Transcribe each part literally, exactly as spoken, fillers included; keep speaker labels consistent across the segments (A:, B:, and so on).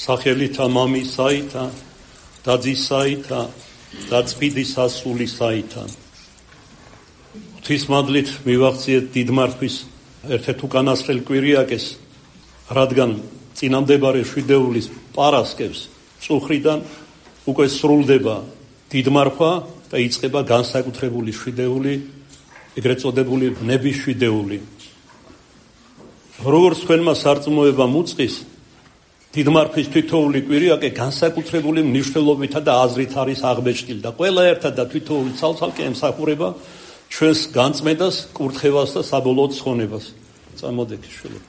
A: სახელითა მამისაითა და ძისაითა და წმინდის ასულისაითა. ღვთისმადლით მივახციეთ დიდმართვის ერთ-ერთ უკანასკნელ კვირიაკეს, რადგან წინამდებარე შვიდეულის პარასკევს წუხრიდან უკვე სრულდება დიდმარხვა და იწყება განსაკუთრებული შვიდეული, ეგრეთ წოდებული ნების შვიდეული. როგორც თქვენმა სარწმუნოებამ უწყის, დიდმარხვის თითოეული კვირიაკე განსაკუთრებული მნიშვნელობითა და აზრით არის აღბეჭდილი და ყველა ერთად და თითოეული ცალ-ცალკე ემსახურება ჩვენს განწმენდას, კურთხევას და საბოლოოდ ცხონებას. წამოდექი შვილო.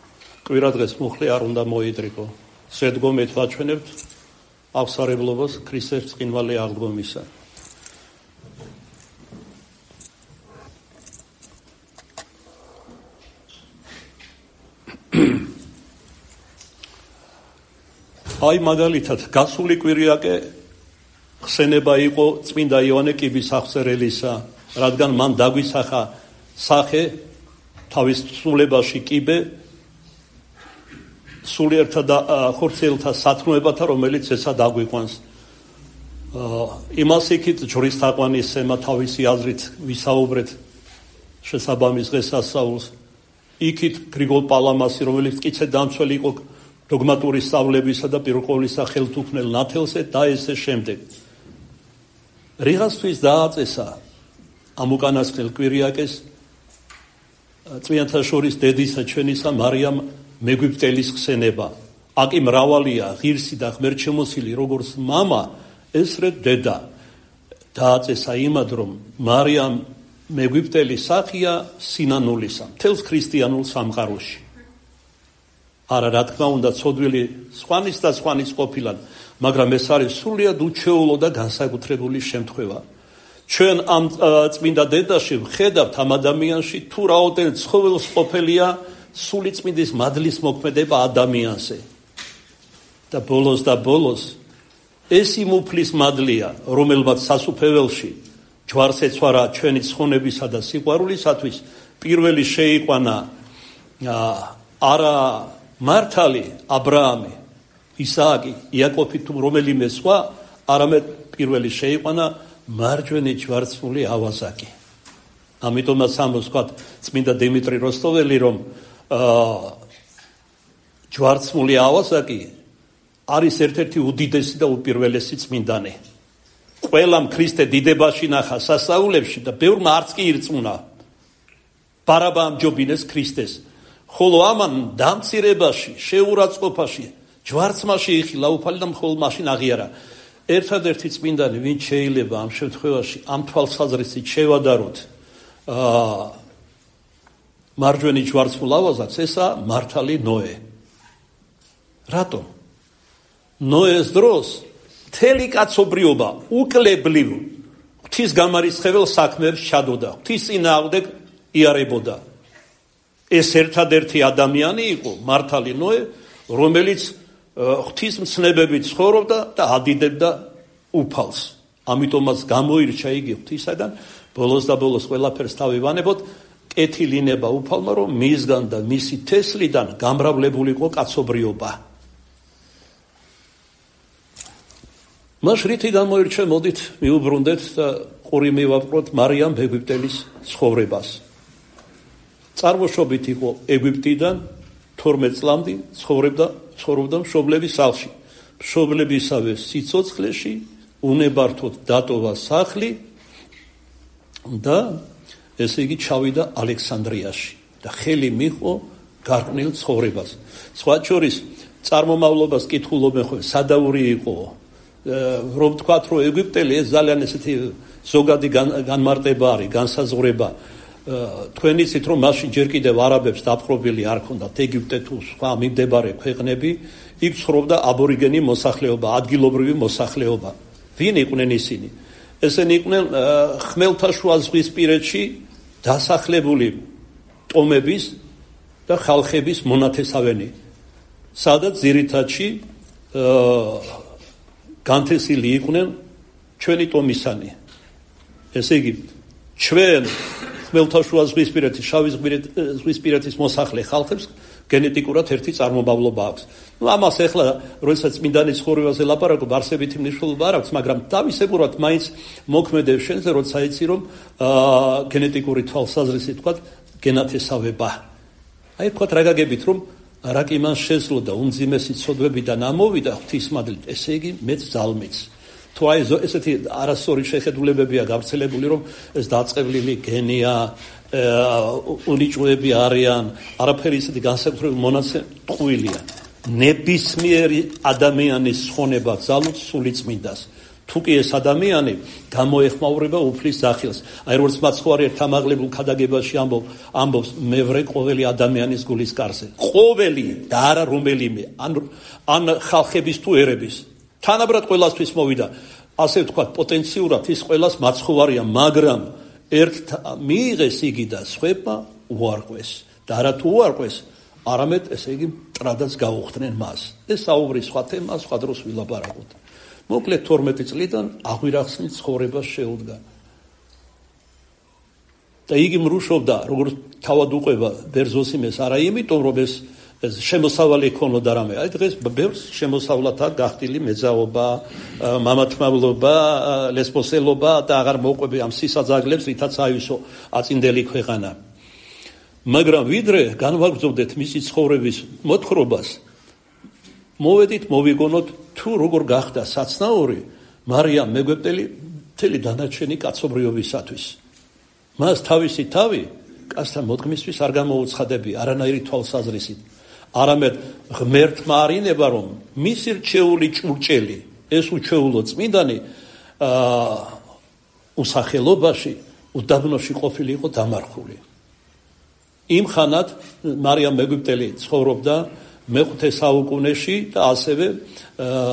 A: კვირა დღეს მუხლი არ უნდა მოიდრიკო. ზედგომით ვაჩვენებთ აღსარებლობას ქრისტეს ბრწყინვალე აღდგომისა. აი მაგალითად გასული კვირიაკე ხსენება იყო წმინდა იოანე კიბის აღწერელისა, რადგან მან დაგვისახა სახე თავის სულებაში კიბე სულიერთა და ხორციელთა სათნოებათა, რომელიც ეცა დაგვიყვანს. იმას იქით ჯვრის თაყვანისცემა თავისი აზრით ვისაუბრეთ შესაბამის დღესასწაულს. იქით გრიგოლ პალამასი, რომელიც მტკიცე დამცველი იყო დოგმატური სწავლებისა და პირველყოვლისა ხელთუქმნელ ნათელზე და ესე შემდეგ. რიღასთვის დააწესა ამ უკანასკნელ კვირიაკეს წმინდანთა შორის დედისა ჩვენისა მარიამ მეგვიპტელის ხსენება. აკი მრავალია ღირსი და ღმერთშემოსილი როგორც მამა, ესრე დედა. დააწესა იმად, რომ მარიამ მეგვიპტელის სახია სინანულისა მთელს ქრისტიანულ სამყაროში. არა, რა თქმა უნდა, ცოდვილი სხვანის და სხვანის ყოფილან, მაგრამ ეს არის სრულიად უჩვეულო და განსაკუთრებული შემთხვევა. ჩვენ ამ წმინდა დედაში ვხედავთ ამ ადამიანში თუ რაოდენ ცხოველს ყოფილია სული წმინდის მადლის მოქმედება ადამიანზე. და ბოლოს და ბოლოს ეს იმ უფლის მადლია, რომელმაც სასუფეველში ჯვარს ეცვარა ჩვენი ცხონებისა და სიყვარულისათვის, პირველი შეიყვანა არა მართალი აბრაამი, ისააკი, იაკობი თუ რომელიმე სხვა, არამედ პირველი შეიყვანა მარჯვენა ჯვარცმული ავაზაკი. ამიტომაც ამბობს თქვა წმინდა დიმიტრი როსტოველი, რომ ჯვარცმული ავაზაკი არის ერთ-ერთი უდიდესი და უპირველესი წმინდანი. ყველამ ქრისტე დიდებაში ნახა სასწაულებში და ბევრმა არც კი ირწმუნა. ბარაბა ამჯობინეს ქრისტეს. ხოლო ამან დამცირებაში, შეურაცხყოფაში, ჯვარცმაში იხილა უფალი და მხოლოდ მაშინ აღიარა. ერთადერთი წმინდანი, ვინც შეიძლება ამ შემთხვევაში ამ თვალსაზრისით შევადაროთ მარჯვენა ჯვარცმულ ავაზაკს, ესა მართალი ნოე. რატომ? ნოეს დროს მთელი კაცობრიობა უკლებლივ ღვთის გამარისხებელ საქმეებს ჩადოდა, ღვთის წინააღმდეგ იარებოდა. ეს ერთადერთი ადამიანი იყო, მართალი ნოე, რომელიც ღვთის მცნებებით ცხოვრობდა და ადიდებდა უფალს. ამიტომაც გამოირჩა იგი ღვთისაგან, ბოლოს და ბოლოს ყველაფერს თავი ვანებოთ, კეთილინება უფალმა, რომ მისგან და მისი თესლიდან გამრავლებული იყო კაცობრიობა. მას რითი გამოირჩა, მოდით მიუბრუნდეთ და ყური მივაპყროთ მარიამ მეგვიპტელის ცხოვრებას. წარმოშობით იყო ეგვიპტიდან, თორმეტ წლამდე ცხოვრობდა ცხოვრობდა მშობლების სახლში. მშობლებისავე სიცოცხლეში უნებართოდ დატოვა სახლი და ესე იგი ჩავიდა ალექსანდრიაში და ხელი მიჰყო გარყვნილ ცხოვრებას. სხვა შორის წარმომავლობას კითხულობენ ხოლმე, სადაური იყო, რომ თქვათ, რომ ეგვიპტელი ეს ძალიან ესეთი ზოგადი განმარტება არის, განსაზღვრება. თქვენ იცით, რომ მაშინ ჯერ კიდევ არაბებს დაპყრობილი არ ჰქონდათ ეგვიპტე თუ სხვა მიმდებარე ქვეყნები, იქ ცხოვრობდა აბორიგენი მოსახლეობა, ადგილობრივი მოსახლეობა. ვინ იყვნენ ისინი? ესენი იყვნენ ხმელთაშუა ზღვისპირეთში დასახლებული ტომების და ხალხების მონათესავენი, სადაც ძირითადში განთესილი იყვნენ ჩვენი ტომისანი. ესე იგი, ჩვენ ხმელთაშუა ზღვისპირეთის, შავი ზღვისპირეთის მოსახლე ხალხებს გენეტიკურად ერთი წარმომავლობა აქვს. ნუ ამას ახლა როდესაც წმინდანის ცხოვრებაზე ლაპარაკობ, არსებითი მნიშვნელობა არ აქვს, მაგრამ თავისებურად მაინც მოქმედებს შენზე, როცა იცი რომ გენეტიკური თვალსაზრისით თქვა გენათესავება. აი თქვა რა გაგებით რომ რაკი მან შეძლო და უმძიმესი ცოდვებიდან ამოვიდა ღვთისმადლით, ესე იგი მეც ძალმიც. თუ აი ესეთი არასწორი შეხედულებებია გავრცელებული, რომ ეს დაწყევლილი გენია, უნიჭუები არიან, არაფერი ისეთი განსაკუთრებული მონაცემ ტყუილია. ნებისმიერი ადამიანის ხონება ძალუց სულიწმინდას. თუ კი ეს ადამიანი გამოეხმაურება უფლის ძახილს. აი როგორც მაცხოვარი თამაღლებულ ქადაგებაში ამბობ, ამბობს მე ვრე ყოველი ადამიანის გულის კარზე. ყოველი და არა რომელიმე, ან ან ხალხების თუ ერების. თანაბრად ყველასთვის მოვიდა. ასე ვთქვათ, პოტენციურად ის ყველას მაცხოვარია, მაგრამ ერთ მიიღეს იგი და სხვებმა უარყვეს. და არა თუ უარყვეს, არამედ ესე იგი ტრადაც გაუხდნენ მას. ეს საუბრის სხვა თემა, სხვა დროს ვილაპარაკოთ. მოკლედ თორმეტი წლიდან აღვირახსნით ცხოვრებას შეუდგა. და იგი მრუშობდა, როგორც თავად უყვება ბერძოსიმეს, არა იმიტომ, რომ ეს შემოსავალი ქონოდა რამე. აი დღეს ბევრს შემოსავლად აქვს გახდილი მეძაობა, მამათმავლობა, ლესბოსელობა და აღარ მოყვები ამ სისაძაგლებს, რითაც აივსო აწინდელი ქვეყანა. მაგრამ ვიდრე განვაგრძობდეთ მისი ცხოვრების მოთხრობას, მოვედით მოვიგონოთ თუ როგორ გახდა საცნაური მარიამ მეგვეპტელი მთელი დანარჩენი კაცობრიობისათვის. მას თავისი თავი კაცთან მოდგმისთვის არ გამოუცხადებია არანაირი თვალსაზრისით. არამედ ღმერთმა არინება, რომ მისი რჩეული ჭურჭელი, ეს უჩვეულო წმინდანი უსახელობაში, უდაბნოში ყოფილიყო დამარხული. იმ ხანად მარიამ მეგვიპტელი ცხოვრობდა მეხუთე საუკუნეში და ასევე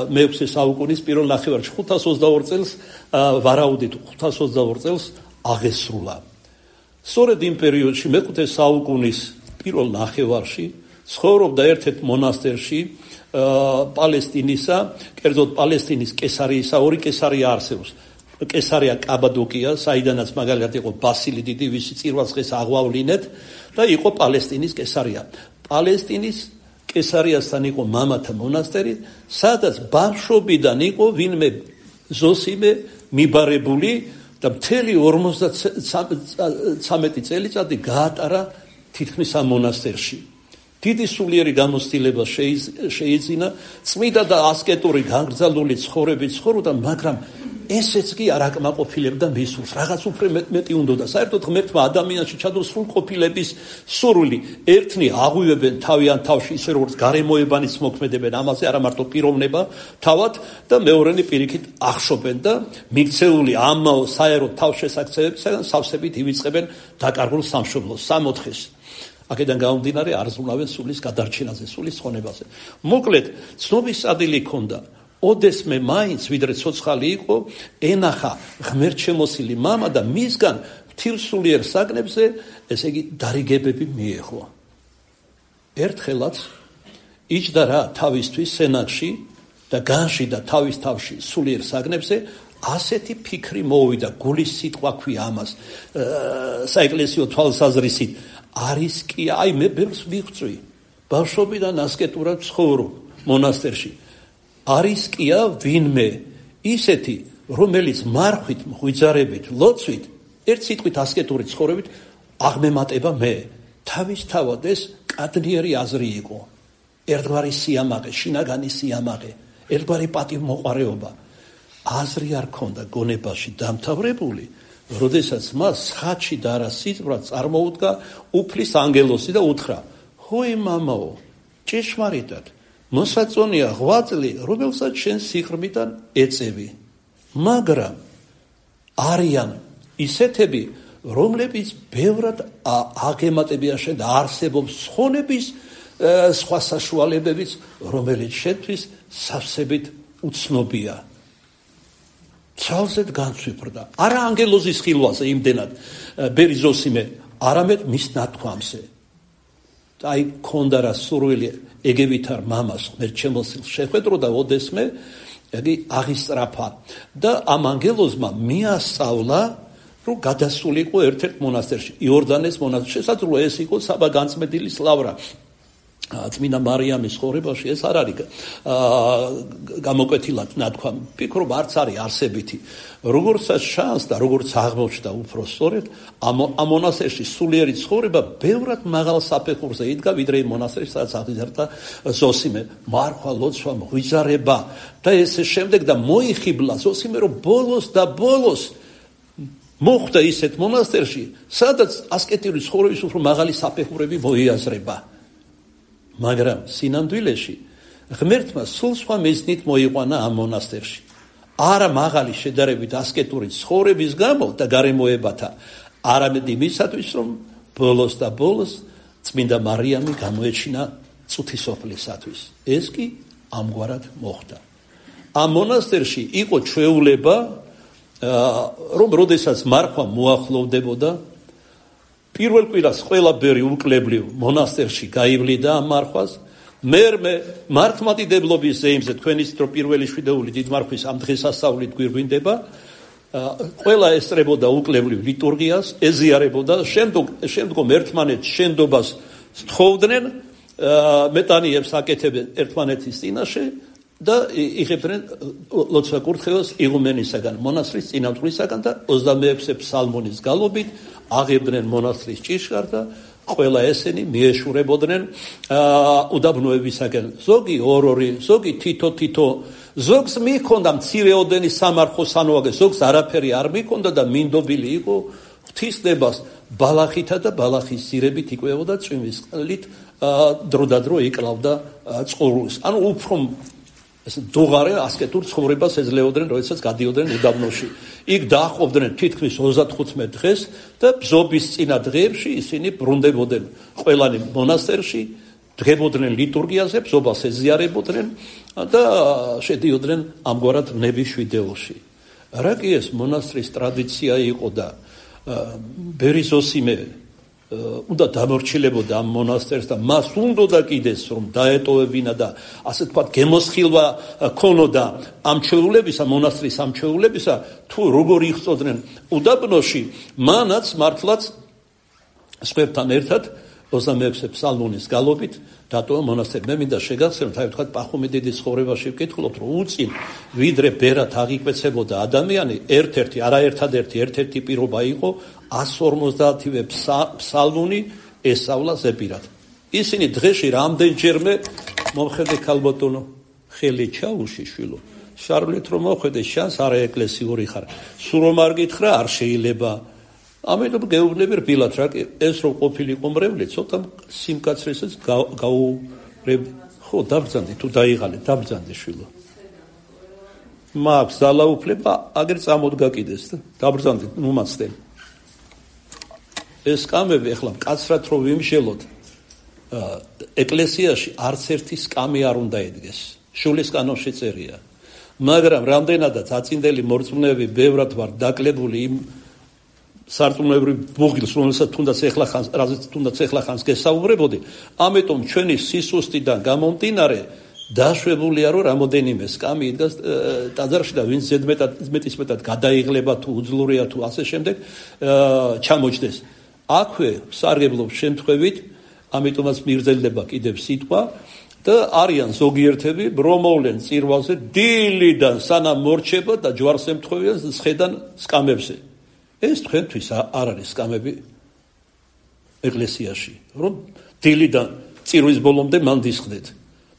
A: მეექვსე საუკუნის პირველ ნახევარში. ხუთას ოცდაორ წელს ვარაუდით, ხუთას ოცდაორ წელს აღესრულა. სწორედ იმ პერიოდში, მეხუთე საუკუნის პირველ ნახევარში, ცხოვრობდა ერთ-ერთ მონასტერში პალესტინისა, კერძოდ პალესტინის კესარიისა, ორი კესარია არსებობს. კესარია კაბადოკია, საიდანაც მაგალითად იყო ბასილი დიდი, ვისი წირვას დღეს აღვავლინეთ, და იყო პალესტინის კესარია. პალესტინის კესარიასთან იყო მამათა მონასტერი, სადაც ბავშვობიდან იყო ვინმე ზოსიმე მიბარებული და მთელი ორმოცდათრამეტი წელიწადი გაატარა თითქმის ამ მონასტერში. დიდი სულიერი გამოცდილება შეიძინა, წმიდა და ასკეტური განგრძალული ცხოვრებით ცხოვრობდა, მაგრამ ესეც კი არ აკმაყოფილებდა მის სულს. რაღაც უფრო მეტი უნდოდა. საერთოდ ღმერთმა ადამიანში ჩადო სრულყოფილების სურვილი. ერთნი აღვივებენ თავიანთ თავში, ისე როგორც გარემოებანიც მოქმედებენ, ამაზე არა მარტო პიროვნება თავად და მეორენი პირიქით ახშობენ და მიქცეული ამაო საერო თავშესაქცევებისგან სავსებით ივიწყებენ დაკარგულ სამშობლოს, სამოთხეს. აქედან გამომდინარე არ ზრუნავენ სულის გადარჩენაზე, სულის ხონებაზე. მოკლედ, ცნობის ადილი ჰქონდა. ოდესმე მაინც, ვიდრე ცოცხალი იყო, ენახა ღმერთშემოსილი მამა და მისგან მთილსულიერ საგნებზე, ესე იგი, დარიგებები მიეღო. ერთხელაც იჯდა რა თავისთვის სენაკში და განშიდა თავის თავში სულიერ საგნებზე, ასეთი ფიქრი მოვიდა, გულის სიტყვა ქვია ამას, საეკლესიო თვალსაზრისით. არის კი, აი მე ბევრს ვიღწვი, ბავშვობიდან ასკეტურად ცხოვრობ მონასტერში. არის კია ვინმე ისეთი, რომელიც მარხვით, მღვიძარებით, ლოცვით, ერთ სიტყვით ასკეტური ცხოვრებით აღმემატება მე. თავისთავად ეს კადნიერი აზრი იყო. ერთგვარი სიამაყე, შინაგანი სიამაყე, ერთგვარი პატივმოყვარეობა. აზრი არ ქონდა გონებაში დამთავრებული, როდესაც მას ხატში და არა სიტყვად წარმოუდგა უფლის ანგელოსი და უთხრა: "ჰოი მამაო, ჭეშმარიტად მოსაწონია ღვაწლი, რომელსაც შენ სიღრმიდან ეწევი. მაგრამ არიან ისეთები, რომლებიც ბევრად აგემატებიან შენ და არსებობს ხონების სხვა საშუალებებიც, რომელიც შენთვის სავსებით უცნობია." ცალზედ განცვიფრდა. არა ანგელოზის ხილვაზე იმდენად ბერიზოსიმე, არამედ მის ნათქვამზე. აი ქონდა რა სურვილი ეგევითარ მამას ღმერთშემოსილს შეხვედრო და ოდესმე იგი აღისწრაფა და ამ ანგელოზმა მიასწავლა, რომ გადასულიყო ერთ-ერთ მონასტერში, იორდანეს მონასტერში. შესაძლოა ეს იყო საბა განწმენდილის ლავრა. წმინდა მარიამის ცხოვრებაში ეს არ არის გამოკვეთილად ნათქვამი. ვფიქრობ, არც არის არსებითი. როგორცაც ჩანს და როგორც აღმოჩნდა უფრო სწორედ, ამ მონასტერში სულიერი ცხოვრება ბევრად მაღალ საფეხურზე იდგა, ვიდრე იმ მონასტერში, სადაც აღიზარდა ზოსიმე. მარხვა, ლოცვა, ღვიძარება და ესე შემდეგ და მოიხიბლა ზოსიმე, რომ ბოლოს და ბოლოს მოხვდა ისეთ მონასტერში, სადაც ასკეტური ცხოვრების უფრო მაღალი საფეხურები მოიაზრება. მაგრამ სინამდვილეში ღმერთმა სულ სხვა მიზნით მოიყვანა ამ მონასტერში. არა მაღალი შედარებით ასკეტური ცხოვრების გამო და გარემოებათა, არამედ იმისათვის, რომ ბოლოს და ბოლოს წმინდა მარიამი გამოეჩინა წუთისოფლისათვის. ეს კი ამგვარად მოხდა. ამ მონასტერში იყო ჩვეულება, რომ როდესაც მარხვა მოახლოვდებოდა, პირველ კვირას ყველა ბერი უკლებლივ მონასტერში გაივლიდა ამ მარხვას. მერმე მართლმადიდებლობის ზეიმზე, თქვენ იცით, რომ პირველი შვიდეული დიდმარხვის ამ დღესასწაულით გვირგვინდება, ყველა ესწრებოდა უკლებლივ ლიტურგიას, ეზიარებოდა, შემდგომ შემდგომ ერთმანეთს შენდობას სთხოვდნენ, მეტანიებს აკეთებენ ერთმანეთის წინაშე და იღებდნენ ლოცვა კურთხევას იღუმენისაგან, მონასტრის წინამძღვრისაგან და ოცდამეექვსე ფსალმონის გალობით აღებდნენ მონასტრის ჭიშკარს და ყველა ესენი მიეშურებოდნენ უდაბნოებისაგან. ზოგი ორ-ორი, ზოგი თითო-თითო, ზოგს მიჰქონდა მცირეოდენი სამარხო სანუაგე, ზოგს არაფერი არ მიჰქონდა და მინდობილი იყო ღვთისნებას ბალახითა და ბალახის სირებით იკვებოდა, წვიმის წყლით დროდადრო იკლავდა წყურვილს. ანუ უფრო ეს დუღარე ასკეტურ ცხოვრებას ეძლეოდნენ, როდესაც გადიოდნენ უდაბნოში. იქ დააყობდნენ თითქმის ოცდათხუთმეტ დღეს და ბზობის წინა დღეებში ისინი ბრუნდებოდნენ ყველანი მონასტერში, დღებოდნენ ლიტურგიაზე, ბზობას ეზიარებოდნენ და შედიოდნენ ამგვარად ნების შვიდეულში. რა კი ეს მონასტრის ტრადიცია იყო და ბერი ზოსიმე უნდა დამორჩილებოდა ამ მონასტერს და მას უნდოდა კიდეს რომ დაეტოვებინა და ასე თქვა გემოსხილვა ქონოდა ამ ჩვეულებისა, მონასტრის ამ ჩვეულებისა, თუ როგორ იხწოდნენ უდაბნოში, მანაც მართლაც სხვებთან ერთად ოცდამეექვსე ფსალმონის გალობით დატოვა მონასტერი. მე მინდა შეგახსენოთ, აი თქვა პახუმი დიდის ცხოვრებაში ვკითხულობთ, რომ უწინ ვიდრე ბერად აღიკვეცებოდა ადამიანი, ერთ-ერთი, არა ერთადერთი, ერთ-ერთი პირობა იყო ას ორმოცდაათივე ფსალმუნი ესწავლა ზეპირად. ისინი დღეში რამდენჯერმე მომხედე ქალბატონო ხელი ჩაუში შვილო. შარვლით რომ მოხედე შანს არა ეკლესიური ხარ. სულ რომ არ გითხრა არ შეიძლება. ამიტომ გეუბნები რბილად რა ეს რო ყოფილიყო მრევლი ცოტა სიმკაცრესაც გაურებ ხო დაბრძანდი თუ დაიღალე დაბრძანდი შვილო. მაქვს ძალაუფლება აგერ წამოდგა კიდეს და დაბრძანდი მომაცდე. ეს კამები ახლა მკაცრად რო ვიმშელოთ ეკლესიაში არც ერთი სკამი არ უნდა ედგეს. შულის კანონში წერია. მაგრამ რამდენადაც აწინდელი მორწმუნეები ბევრად ვარ დაკლებული იმ სარწმუნოებრივ ბუღილს, რომელსაც თუნდაც ეხლა ხანს, რაზეც თუნდაც ეხლა ხანს გესაუბრებოდი, ამიტომ ჩვენი სისუსტიდან გამომდინარე დაშვებულია, რომ რამოდენიმე სკამი იდგას ტაძარში და ვინც ზედმეტად მეტის მეტად გადაიღლება თუ უძლურია თუ ასე შემდეგ ჩამოჯდეს. აქვე სარგებლობს შემთხვევით, ამიტომაც მიგრძელდება კიდევ სიტყვა და არიან ზოგიერთები, რომოვლენ წირვალზე დილიდან სანამ მორჩება და ჯვარს ემთხვევიან სხედან სკამებზე. ეს თქვენთვის არ არის სკამები ეკლესიაში, რომ დილიდან წირვის ბოლომდე მან დისხდეთ.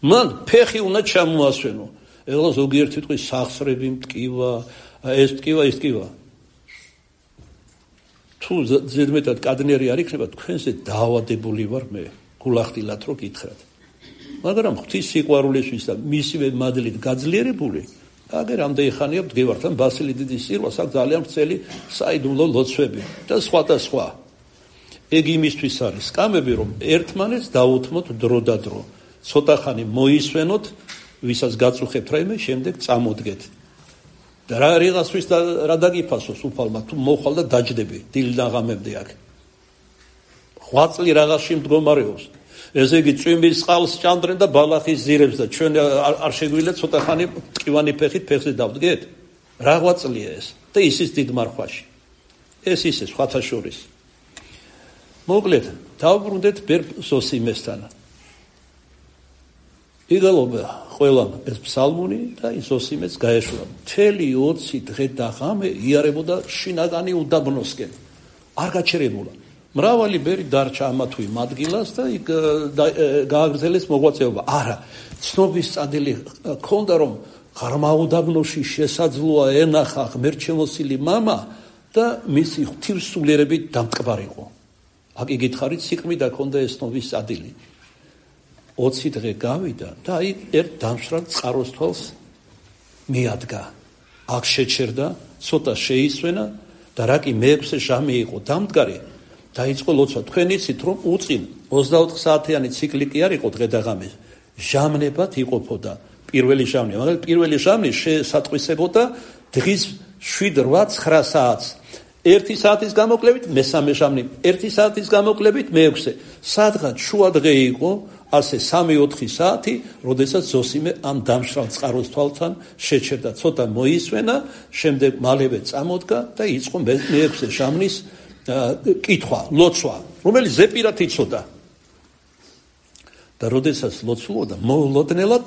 A: მან ფეხი უნდა ჩამოასვენო. ეხლა ზოგიერთი თქვი სახსრები მტკივა, ეს მტკივა, ის მტკივა. თუ ზედმეტად კადნერი არ იქნება, თქვენზე დაავადებული ვარ მე, გულახდილად რო გითხრათ. მაგრამ ღვთის სიყვარულისთვის და მისივე მადლით გაძლიერებული აგერ ამდენი ხანია ვდგევართ ან ბასილი დიდის სირვას აქ ძალიან ვრცელი საიდუმლო ლოცვები და სხვა და სხვა. ეგ იმისთვის არის სკამები, რომ ერთმანეთს დაუთმოთ დრო და დრო. ცოტა ხანი მოისვენოთ, ვისაც გაწუხებთ რაიმე, შემდეგ წამოდგეთ. და რა რიღასთვის და რა დაგიფასოს უფალმა, თუ მოხვალ და დაჯდები დილიდან ღამემდე აქ. ღვაწლი რაღაცში მდგომარეობს. ესე იგი წვიმის წყალს ჭამდრენ და ბალახის ზირებს და ჩვენ არ შეგვიძლია ცოტა ხანი ტკივანი ფეხით ფეხზე დავდგეთ. რა ღვაწლია ეს? და ისიც დიდ მარხვაში. ეს ისე სხვათა შორის. მოკლედ, დავბრუნდეთ ბერ ზოსიმესთან. იგალობა ყველამ ეს ფსალმუნი და ის ოსიმეც გაეშვა. მთელი ოცი დღე და ღამე იარებოდა შინაგანი უდაბნოსკენ. არ გაჩერებულა. მრავალი ბერი დარჩა ამა თუ იმ ადგილას და იქ გააგრძელეს მოღვაწეობა. არა, ცნობის წადილი ქონდა, რომ ღრმა უდაბნოში შესაძლოა ენახა ღმერთშემოსილი მამა და მისი ღვთივსულიერებით დამტკბარიყო. აქ იგითხარით, სიყრმიდა ქონდა ეს ცნობის წადილი. ოცი დღე გავიდა და აი ერთ დამშრალ წყაროსთვალს მიადგა. აქ შეჩერდა, ცოტა შეისვენა და რაკი მეექვსე ჟამი იყო დამდგარი, დაიწყო ლოცვა. თქვენ იცით, რომ უწინ ოცდაოთხ საათიანი ციკლი კი არ იყო დღე და ღამე. ჟამნებად იყოფოდა. პირველი ჟამნი, მაგრამ პირველი ჟამნი შესატყვისებოდა დღის შვიდ რვა ცხრა საათს. ერთი საათის გამოკლებით მესამე ჟამნი, ერთი საათის გამოკლებით მეექვსე. სადღაც შუა დღე იყო, ასე სამი ოთხი საათი, როდესაც ზოსიმე ამ დამშრალ წყაროსთვალთან შეჩერდა. ცოტა მოისვენა, შემდეგ მალევე წამოდგა და იწყო მეექვსე ჟამნის კითხვა, ლოცვა, რომელიც ზეპირად იცოდა. და როდესაც ლოცულობდა, მოულოდნელად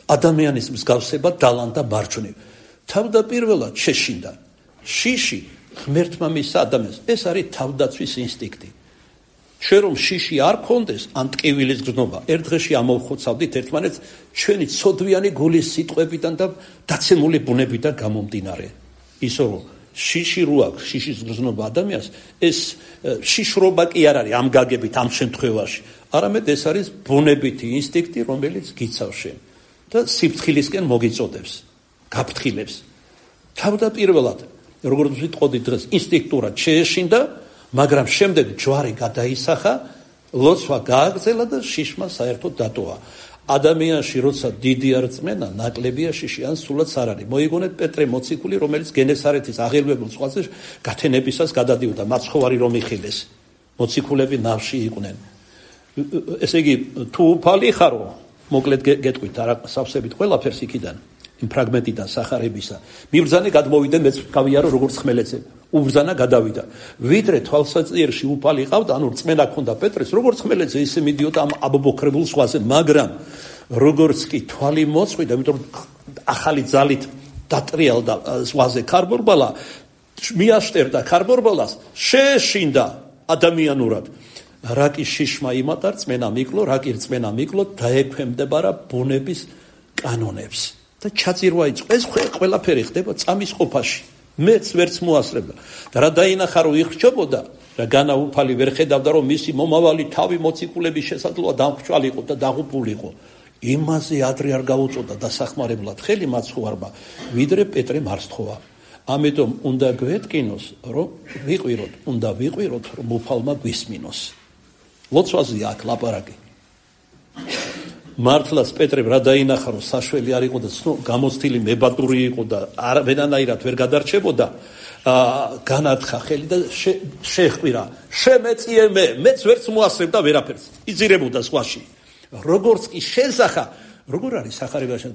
A: ადამიანის მსგავსება დალანდა მარჯვნივ. თავდაპირველად შეშინდა. შიში ღმერთმა მისცა ადამიანს. ეს არის თავდაცვის ინსტინქტი. ჩვენ რომ შიში არ გქონდეს, ან ტკივილის გრძნობა, ერთ დღეში ამოვხოცავდით ერთმანეთს ჩვენი ცოდვიანი გულის სიტყვებიდან და დაცემული ბუნებიდან გამომდინარე. ისო რომ შიში რო აქვს, შიშის გრძნობა ადამიანს, ეს შიშრობა კი არ არის ამ გაგებით, ამ შემთხვევაში. არამედ ეს არის ბუნებითი ინსტინქტი, რომელიც გიცავს შენ და სიფრთხილისკენ მოგიწოდებს, გაფრთხილებს. თავდაპირველად, როგორც ვიტყოდი დღეს, ინსტინქტურად შეეშინდა, მაგრამ შემდეგ ჯვარი გადაისახა, ლოცვა გააგრძელა და შიშმა საერთოდ დატოვა. ადამიანში როცა დიდი არ წმენა, ნაკლებია შიში, ან სულაც არ არის. მოიგონეთ პეტრე მოციქული, რომელიც გენესარეთის აღელვებულ ზღვაზე გათენებისას გადადიოდა, მაცხოვარი რომ იხილეს. მოციქულები ნავში იყვნენ. ესე იგი, თუ უფალი ხარო, მოკლედ გეტყვით, არა სავსებით ყველაფერს იქიდან, იმ ფრაგმენტიდან სახარებისა. მიბრძანე გადმოვიდა, მეც გავიარო როგორც ხმელეთზე. უბრძანა გადავიდა. ვიდრე თვალსაჩინში უფალი ყავდა, ანუ რწმენა ქონდა პეტრეს, როგორც ხმელეთზე ისე მიდიოდა ამ აბობოქრებულ ზღვაზე, მაგრამ როგორც კი თვალი მოწყვიდა, იმიტომ ახალი ძალით დატრიალდა ზღვაზე ქარბორბალა, მიაშტერდა ქარბორბალას, შეეშინდა ადამიანურად. რაკი შიშმა იმატა, რწმენა მიკლო, რაკი რწმენა მიკლო, დაექვემდებარა ბუნების კანონებს და ჩაძირვა იწყო. ეს ყველაფერი ხდება წამის ყოფაში. მეც ვერც მოასწრებდა და რა დაინახა რომ იხრჩობოდა და განა უფალი ვერ ხედავდა რომ მისი მომავალი თავი მოციქულების შესაძლოა დამხჭვალიყო და დაღუპულიყო. იმაზე ადრე არ გაუწოდა დასახმარებლად ხელი მაცხოვარმა, ვიდრე პეტრე მარცხოვა. ამიტომ უნდა გვეტკინოს, რომ ვიყვიროთ, უნდა ვიყვიროთ, რომ უფალმა გვისმინოს. ლოცვაზე აქ ლაპარაკი. მართლაც პეტრემ რა დაინახა, რომ საშველი არ იყო და გამოცდილი მებადური იყო და არანაირად ვერ გადარჩებოდა, განათხა ხელი და შეხვირა. შემეწიე მე, მეც ვერც მოასწრებდა ვერაფერს. იძირებოდა ზღვაში. როგორც კი შეზახა, როგორ არის სახარებაში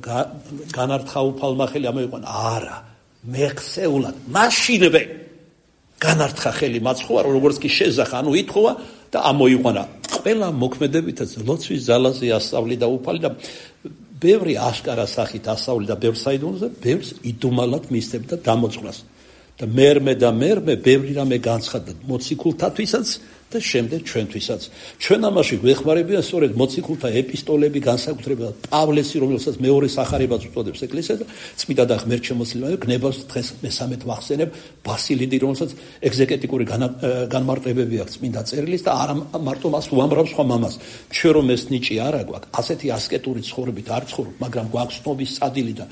A: განართხა უფალმა ხელი ამოიყვანა? არა, მეხსეულად, მაშინვე განართხა ხელი მაცხოვარო, როგორც კი შეზახა, ანუ ითხოვა და ამოიყვანა. ყველა მოქმედებითაც ლოცვის ძალაზე ასწავლიდა უფალი და ბევრი აშკარა სახით ასწავლიდა ბევრ საიდუმლოზე, ბევრს იდუმალად მისცემდა დამოწყვრას. და მერმე და მერმე ბევრი რამე განცხადდა მოციქულთათვისაც და შემდეგ ჩვენთვისაც. ჩვენ ამაში გვეხმარებიან სწორედ მოციქულთა ეპისტოლები, განსაკუთრებულად პავლესი, რომელსაც მეორე სახარებას უწოდებს ეკლესია და წმინდა და ღმერთშემოსილმა გნებას დღეს მესამედ ვახსენებ ბასილიდი, რომელსაც ეგზეკეტიკური განმარტებები აქვს წმინდა წერილის და არა მარტო მას უამრავ სხვა მამას. ჩვენ რომ ეს ნიჭი არ აგვაქვს, ასეთი ასკეტური ცხოვრებით არ ცხოვრობ, მაგრამ გვაქვს ცნობის წადილი და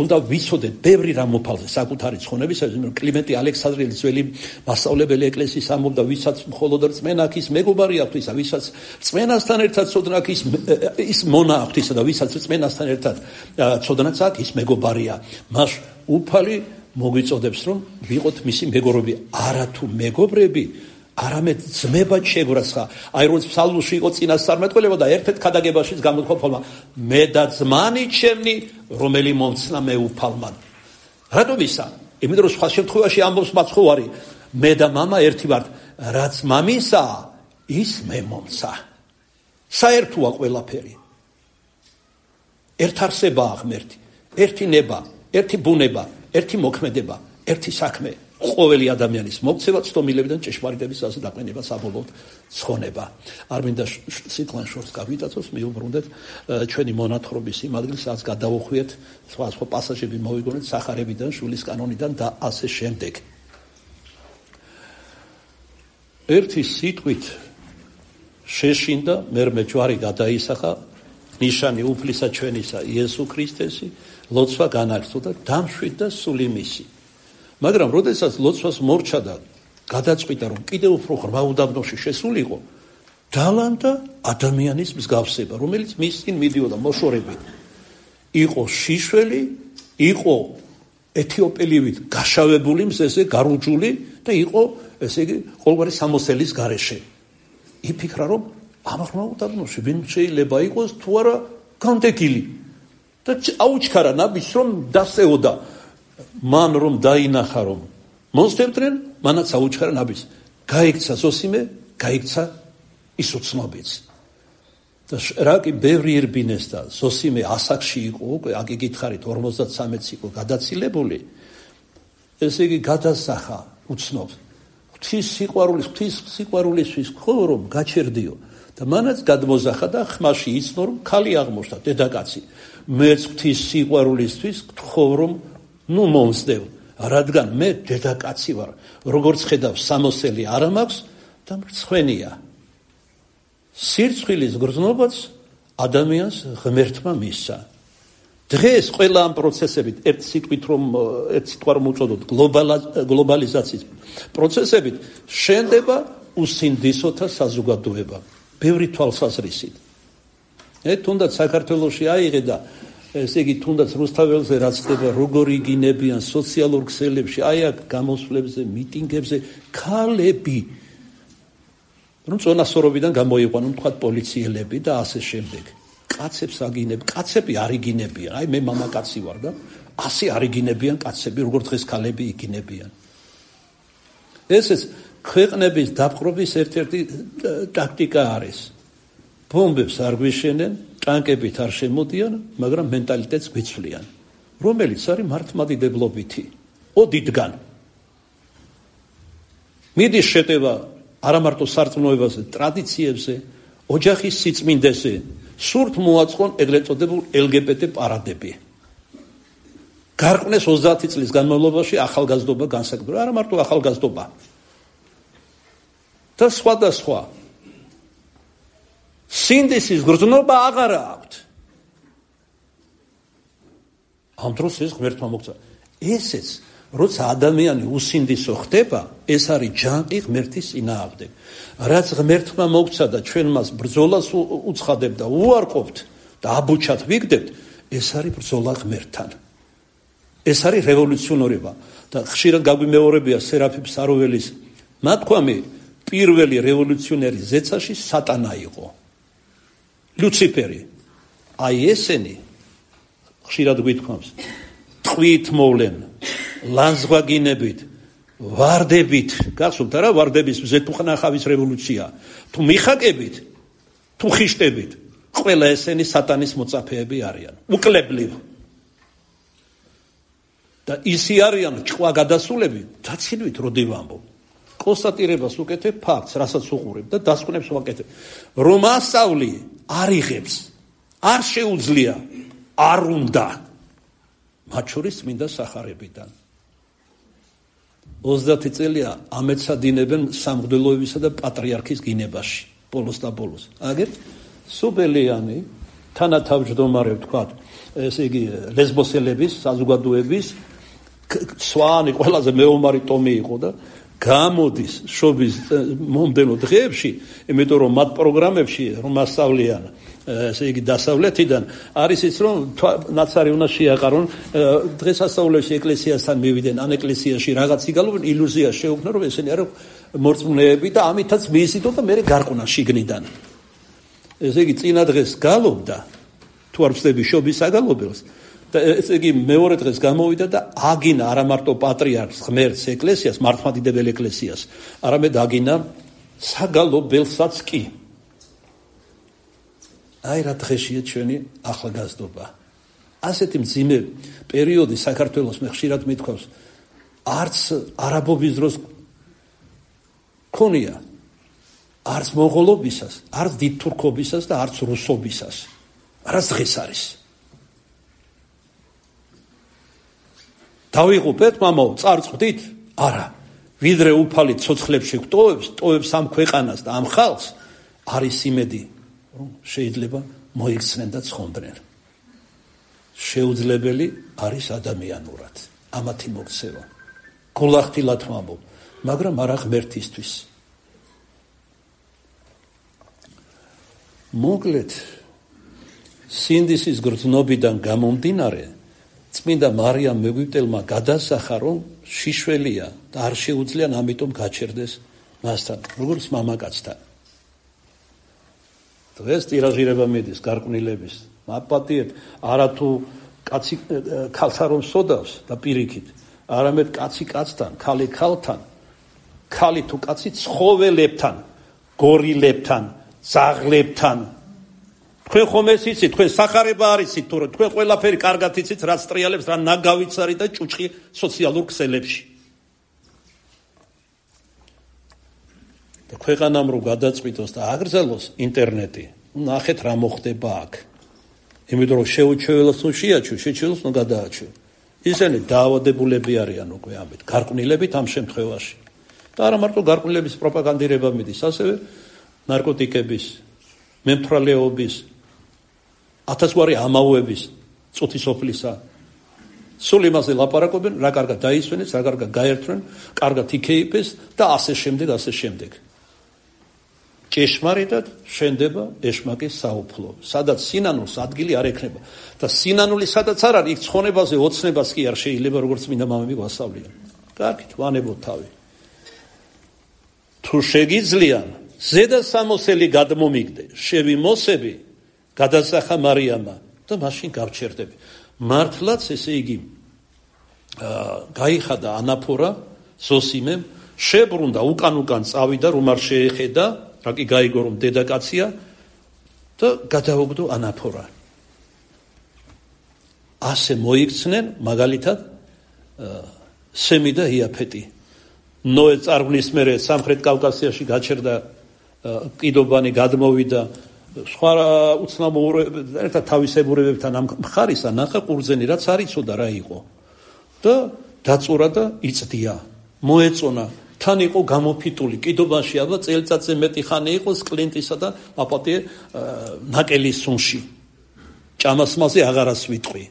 A: უნდა ვიცოდეთ ბევრი რამ უფალზე საკუთარი ცხონებისათვის, რომ კლიმენტი ალექსანდრიელი ძველი მასწავლებელი ეკლესიის ამბობდა, ვისაც მხოლოდ რწმენა აქვს, მეგობარი აქვს ისა, ვისაც რწმენასთან ერთად ცოდნა აქვს, ის მონა აქვს ისა და ვისაც რწმენასთან ერთად ცოდნაც აქვს, ის მეგობარია. მას უფალი მოგვიწოდებს, რომ ვიყოთ მისი მეგობრები, არა თუ მეგობრები, არამედ ძმებად შეგვრასხა. აი როგორც ფსალმში იყო წინასწარმეტყველება და ერთ-ერთ ქადაგებაშიც გამოთქვა უფალმა, მე და ძმანი ჩემნი, რომელი მომცნა მე უფალმა. რატომ ისა? იმიტომ რომ სხვა შემთხვევაში ამბობს მაცხოვარი, მე და მამა ერთი ვართ, რაც მამისა, ის მე მომცა. საერთოა ყველაფერი. ერთ არსებაა ღმერთი, ერთი ნება, ერთი ბუნება, ერთი მოქმედება, ერთი საქმე, ყოველი ადამიანის მოქცევა, ცდომილებიდან ჭეშმარიტების ასე დაყენება საბოლოოდ ცხონება. არ მინდა სიტყვან შორს გავიტაცოს, მიუბრუნდეთ ჩვენი მონათხრობის იმ ადგილს, სადაც გადავუხვიეთ სხვა სხვა პასაჟები მოვიგონეთ სახარებიდან, შვილის კანონიდან და ასე შემდეგ. ერთი სიტყვით შეშინდა მერმე ჯვარი გადაისახა ნიშანი უფლისა ჩვენისა იესო ქრისტესი, ლოცვა განაგრძო და დამშვიდდა სული მისი. მაგრამ როდესაც ლოცვას მორჩა და გადაწყვიტა რომ კიდევ უფრო ღრმა უდაბნოში შესულიყო, დალანდა ადამიანის მსგავსება, რომელიც მის წინ მიდიოდა მოშორებით. იყო შიშველი, იყო ეთიოპელივით გაშავებული მზეზე გარუჯული და იყო ესე იგი ყოველგვარი სამოსელის გარეშე. იფიქრა რომ ამ ღრმა უდაბნოში ვინ შეიძლება იყოს თუ არა განდეგილი და აუჩქარა ნაბიჯს რომ დასეოდა მან რომ დაინახა რომ მოსდებდნენ, მანაც აუჩქარა ნაბიჯს. გაიქცა ზოსიმე, გაიქცა ის უცნობიც. და რა კი ბევრი ირბინეს და ზოსიმე ასაკში იყო, უკვე აგი გითხარით ორმოცდათსამეტს იყო გადაცილებული. ესე იგი გადასახა უცნობს. ღვთის სიყვარულის, ღვთის სიყვარულისთვის ხო რომ გაჩერდიო და მანაც გადმოზახა და ხმაში იცნო რომ ქალი აღმოჩნდა დედაკაცი. მეც ღვთის სიყვარულისთვის გთხოვ რომ ნუ მომსდევ, რადგან მე დედაკაცი ვარ, როგორც ხედავ სამოსელი არ მაქვს და მრცხვენია. სირცხვილის გრძნობაც ადამიანს ღმერთმა მისცა. დღეს ყველა ამ პროცესებით ერთ სიტყვით რომ ერთ სიტყვა რომ უწოდოთ გლობალიზაციის პროცესებით შენდება უსინდისოთა საზოგადოება ბევრი თვალსაზრისით. ე თუნდაც საქართველოში აიღე და ესე იგი თუნდაც რუსთაველზე რაც ხდება როგორ იგინებიან სოციალურ ქსელებში, აი აქ გამოსვლებზე, მიტინგებზე ქალები რომ წონასწორობიდან გამოიყვანონ თქვა პოლიციელები და ასე შემდეგ. კაცებს აგინებ, კაცები არ იგინებიან. აი მე მამაკაცი ვარ და ასე არ იგინებიან კაცები, როგორც დღეს ქალები იგინებიან. ესეც ქვეყნების დაპყრობის ერთ-ერთი ტაქტიკა არის. ბომბებს არ გვიშენენ, ტანკებით არ შემოდიან, მაგრამ მენტალიტეტს გვიცვლიან, რომელიც არის მართლმადიდებლობითი, ოდითგან. მიდის შეტევა არა მარტო სარწმუნოებაზე, ტრადიციებზე, ოჯახის სიწმინდეზე, სურთ მოაწყონ ეგრეთ წოდებულ ელ გი ბე ტე პარადები. გარყვნეს ოცდაათი წლის განმავლობაში ახალგაზრდობა განსაკუთრებით, არა მარტო ახალგაზრდობა. და სხვა და სხვა. სინდისის გრძნობა აღარა აქვთ. ამ დროს ეს ღმერთმა მოგცა. ესეც როცა ადამიანი უსინდისო ხდება, ეს არის ჯანყი ღმერთის წინააღმდეგ. რაც ღმერთმა მოგცა და ჩვენ მას ბრძოლას უცხადებთ და უარყოფთ და აბუჩად ვიგდებთ, ეს არის ბრძოლა ღმერთთან. ეს არის რევოლუციონერობა და ხშირად გაგვიმეორებია სერაფიმ საროველის ნათქვამი, პირველი რევოლუციონერი ზეცაში სატანა იყო. ლუციფერი. აი ესენი ხშირად გვითქვამს, ტყვით მოვლენ, ლანძღვაგინებით, ვარდებით, გახსოვთ რა ვარდების მზეთუხნახავის რევოლუცია, თუ მიხაკებით, თუ ხიშტებით, ყველა ესენი სატანის მოწაფეები არიან, უკლებლივ. და ისი არიან ჭყვა გადასულები, დაცინვით როდი ვამბობ. კონსტატირებას უკეთებ ფაქტს, რასაც უყურებ და დასკვნებს ვაკეთებ. რომ ასწავლი არ იღებს, არ შეუძლია, არ უნდა. მათ შორის წმინდა სახარებიდან. ოცდაათი წელია ამეცადინებენ სამღვდელოებისა და პატრიარქის გინებაში, ბოლოს და ბოლოს. აგერ სუბელიანი თანათავმჯდომარე ვთქვათ, ესე იგი ლესბოსელების საზოგადოების სვანი ყველაზე მეომარი ტომი იყო და გამოდის შობის მომდენო დღეებში, იმიტომ რომ მათ პროგრამებში რომ ასწავლიან, ესე იგი დასავლეთიდან არის ის რომ ნაცარი უნდა შეაყარონ, დღეს ასწავლებში ეკლესიასთან მივიდნენ, ან ეკლესიაში რაღაც იგალობენ, ილუზია შეუქმნა რომ ესენი არის მორწმუნეები და ამითაც მიიზიდო და მე გარყუნა შიგნიდან. ესე იგი წინა დღეს გალობდა, თუ არ ვწდები შობის აგალობელს და ესე იგი მეორე დღეს გამოვიდა და აგინა არა მარტო პატრიარქს, ღმერთს, ეკლესიას, მართლმადიდებელ ეკლესიას, არამედ აგინა საგალობელსაც კი. აი რა დღეშია ჩვენი ახალგაზრდობა. ასეთი მძიმე პერიოდი საქართველოს მე ხშირად მithქვავს, არც არაბობის დროს ქონია, არც მონღოლობისას, არც დიდ თურქობისას და არც რუსობისას. არც დღეს არის. დავიღუპეთ, მამაო, წარწყვდით? არა. ვიდრე უფალი ცოცხლებში გვტოვებს, ტოვებს ამ ქვეყანას და ამ ხალხს, არის იმედი, რომ შეიძლება მოიქცნენ და ცხონდნენ. შეუძლებელი არის ადამიანურად ამათი მოქცევა. გულახდილად ვამბობ, მაგრამ არა ღმერთისთვის. მოკლედ, სინდისის გრძნობიდან გამომდინარე, წმინდა მარიამ მეგვიპტელმა გადასახა, რომ შიშველია და არ შეუძლია ამიტომ გაჩერდეს მასთან, როგორც მამაკაცთან. დღეს ტირაჟირება მიდის გარყვნილების. მაპატიებ, არა თუ კაცი ქალთან რომ სოდავს და პირიქით, არამედ კაცი კაცთან, ქალი ქალთან, ქალი თუ კაცი ცხოველებთან, გორილებთან, ზაღლებთან. თქვენ ხომ ეს იცით, თქვენ სახარება არ იცით, თუ თქვენ ყველაფერი კარგად იცით, რაც ტრიალებს, რა ნაგავიც არის და ჭუჭყი სოციალურ ქსელებში. და ქვეყანამ რო გადაწყვიტოს და აგრძელოს ინტერნეტი, ნახეთ რა მოხდება აქ. იმიტომ რომ შეუჩეველოს ნუ შეაჩუ, შეჩეველოს ნუ გადააჩუ. ისინი დაავადებულები არიან უკვე ამით, გარყვნილებით ამ შემთხვევაში. და არა მარტო გარყვნილების პროპაგანდირება მიდის, ასევე ნარკოტიკების, მემთვრალეობის, ათასგვარი ამაოების, წუთისოფლისა. სულ იმაზე ლაპარაკობენ, რა კარგად დაისვენეს, რა კარგად გაერთვენ, კარგად იქეიფეს და ასე შემდეგ, ასე შემდეგ. ჭეშმარიტად შენდება ეშმაკის საუფლო, სადაც სინანულს ადგილი არ ექნება. და სინანული სადაც არ არის, იქ ცხონებაზე ოცნებას კი არ შეიძლება, როგორც მინდა მამები გვასწავლიან. კარგით, ვანებოთ თავი. თუ შეგიძლიან, ზედა სამოსელი გადმომიგდე, შევიმოსები, გადასახა მარიამა და მაშინ გავჩერდები. მართლაც ესე იგი გაიხადა ანაფორა ზოსიმემ, შებრუნდა უკან უკან წავიდა, რომ არ შეეხედა, რა კი გაიგო რომ დედაკაცია და გადაუგდო ანაფორა. ასე მოიქცნენ მაგალითად სემი და იაფეტი. ნოე წარღვნის მერე სამხრეთ კავკასიაში გაჩერდა კიდობანი, გადმოვიდა სხვა უცნაურებთან, ერთად თავისებურებებთან ამ მხარისა ნახა ყურძენი, რაც არ იცოდა რა იყო. და დაწურა და იწდია. მოეწონა, თან იყო გამოფიტული კიდობაში, აბა წელიწადზე მეტი ხანი იყო კლინტისა და აპატიე ნაკელის სუნში. ჭამასმაზე აღარას ვიტყვი.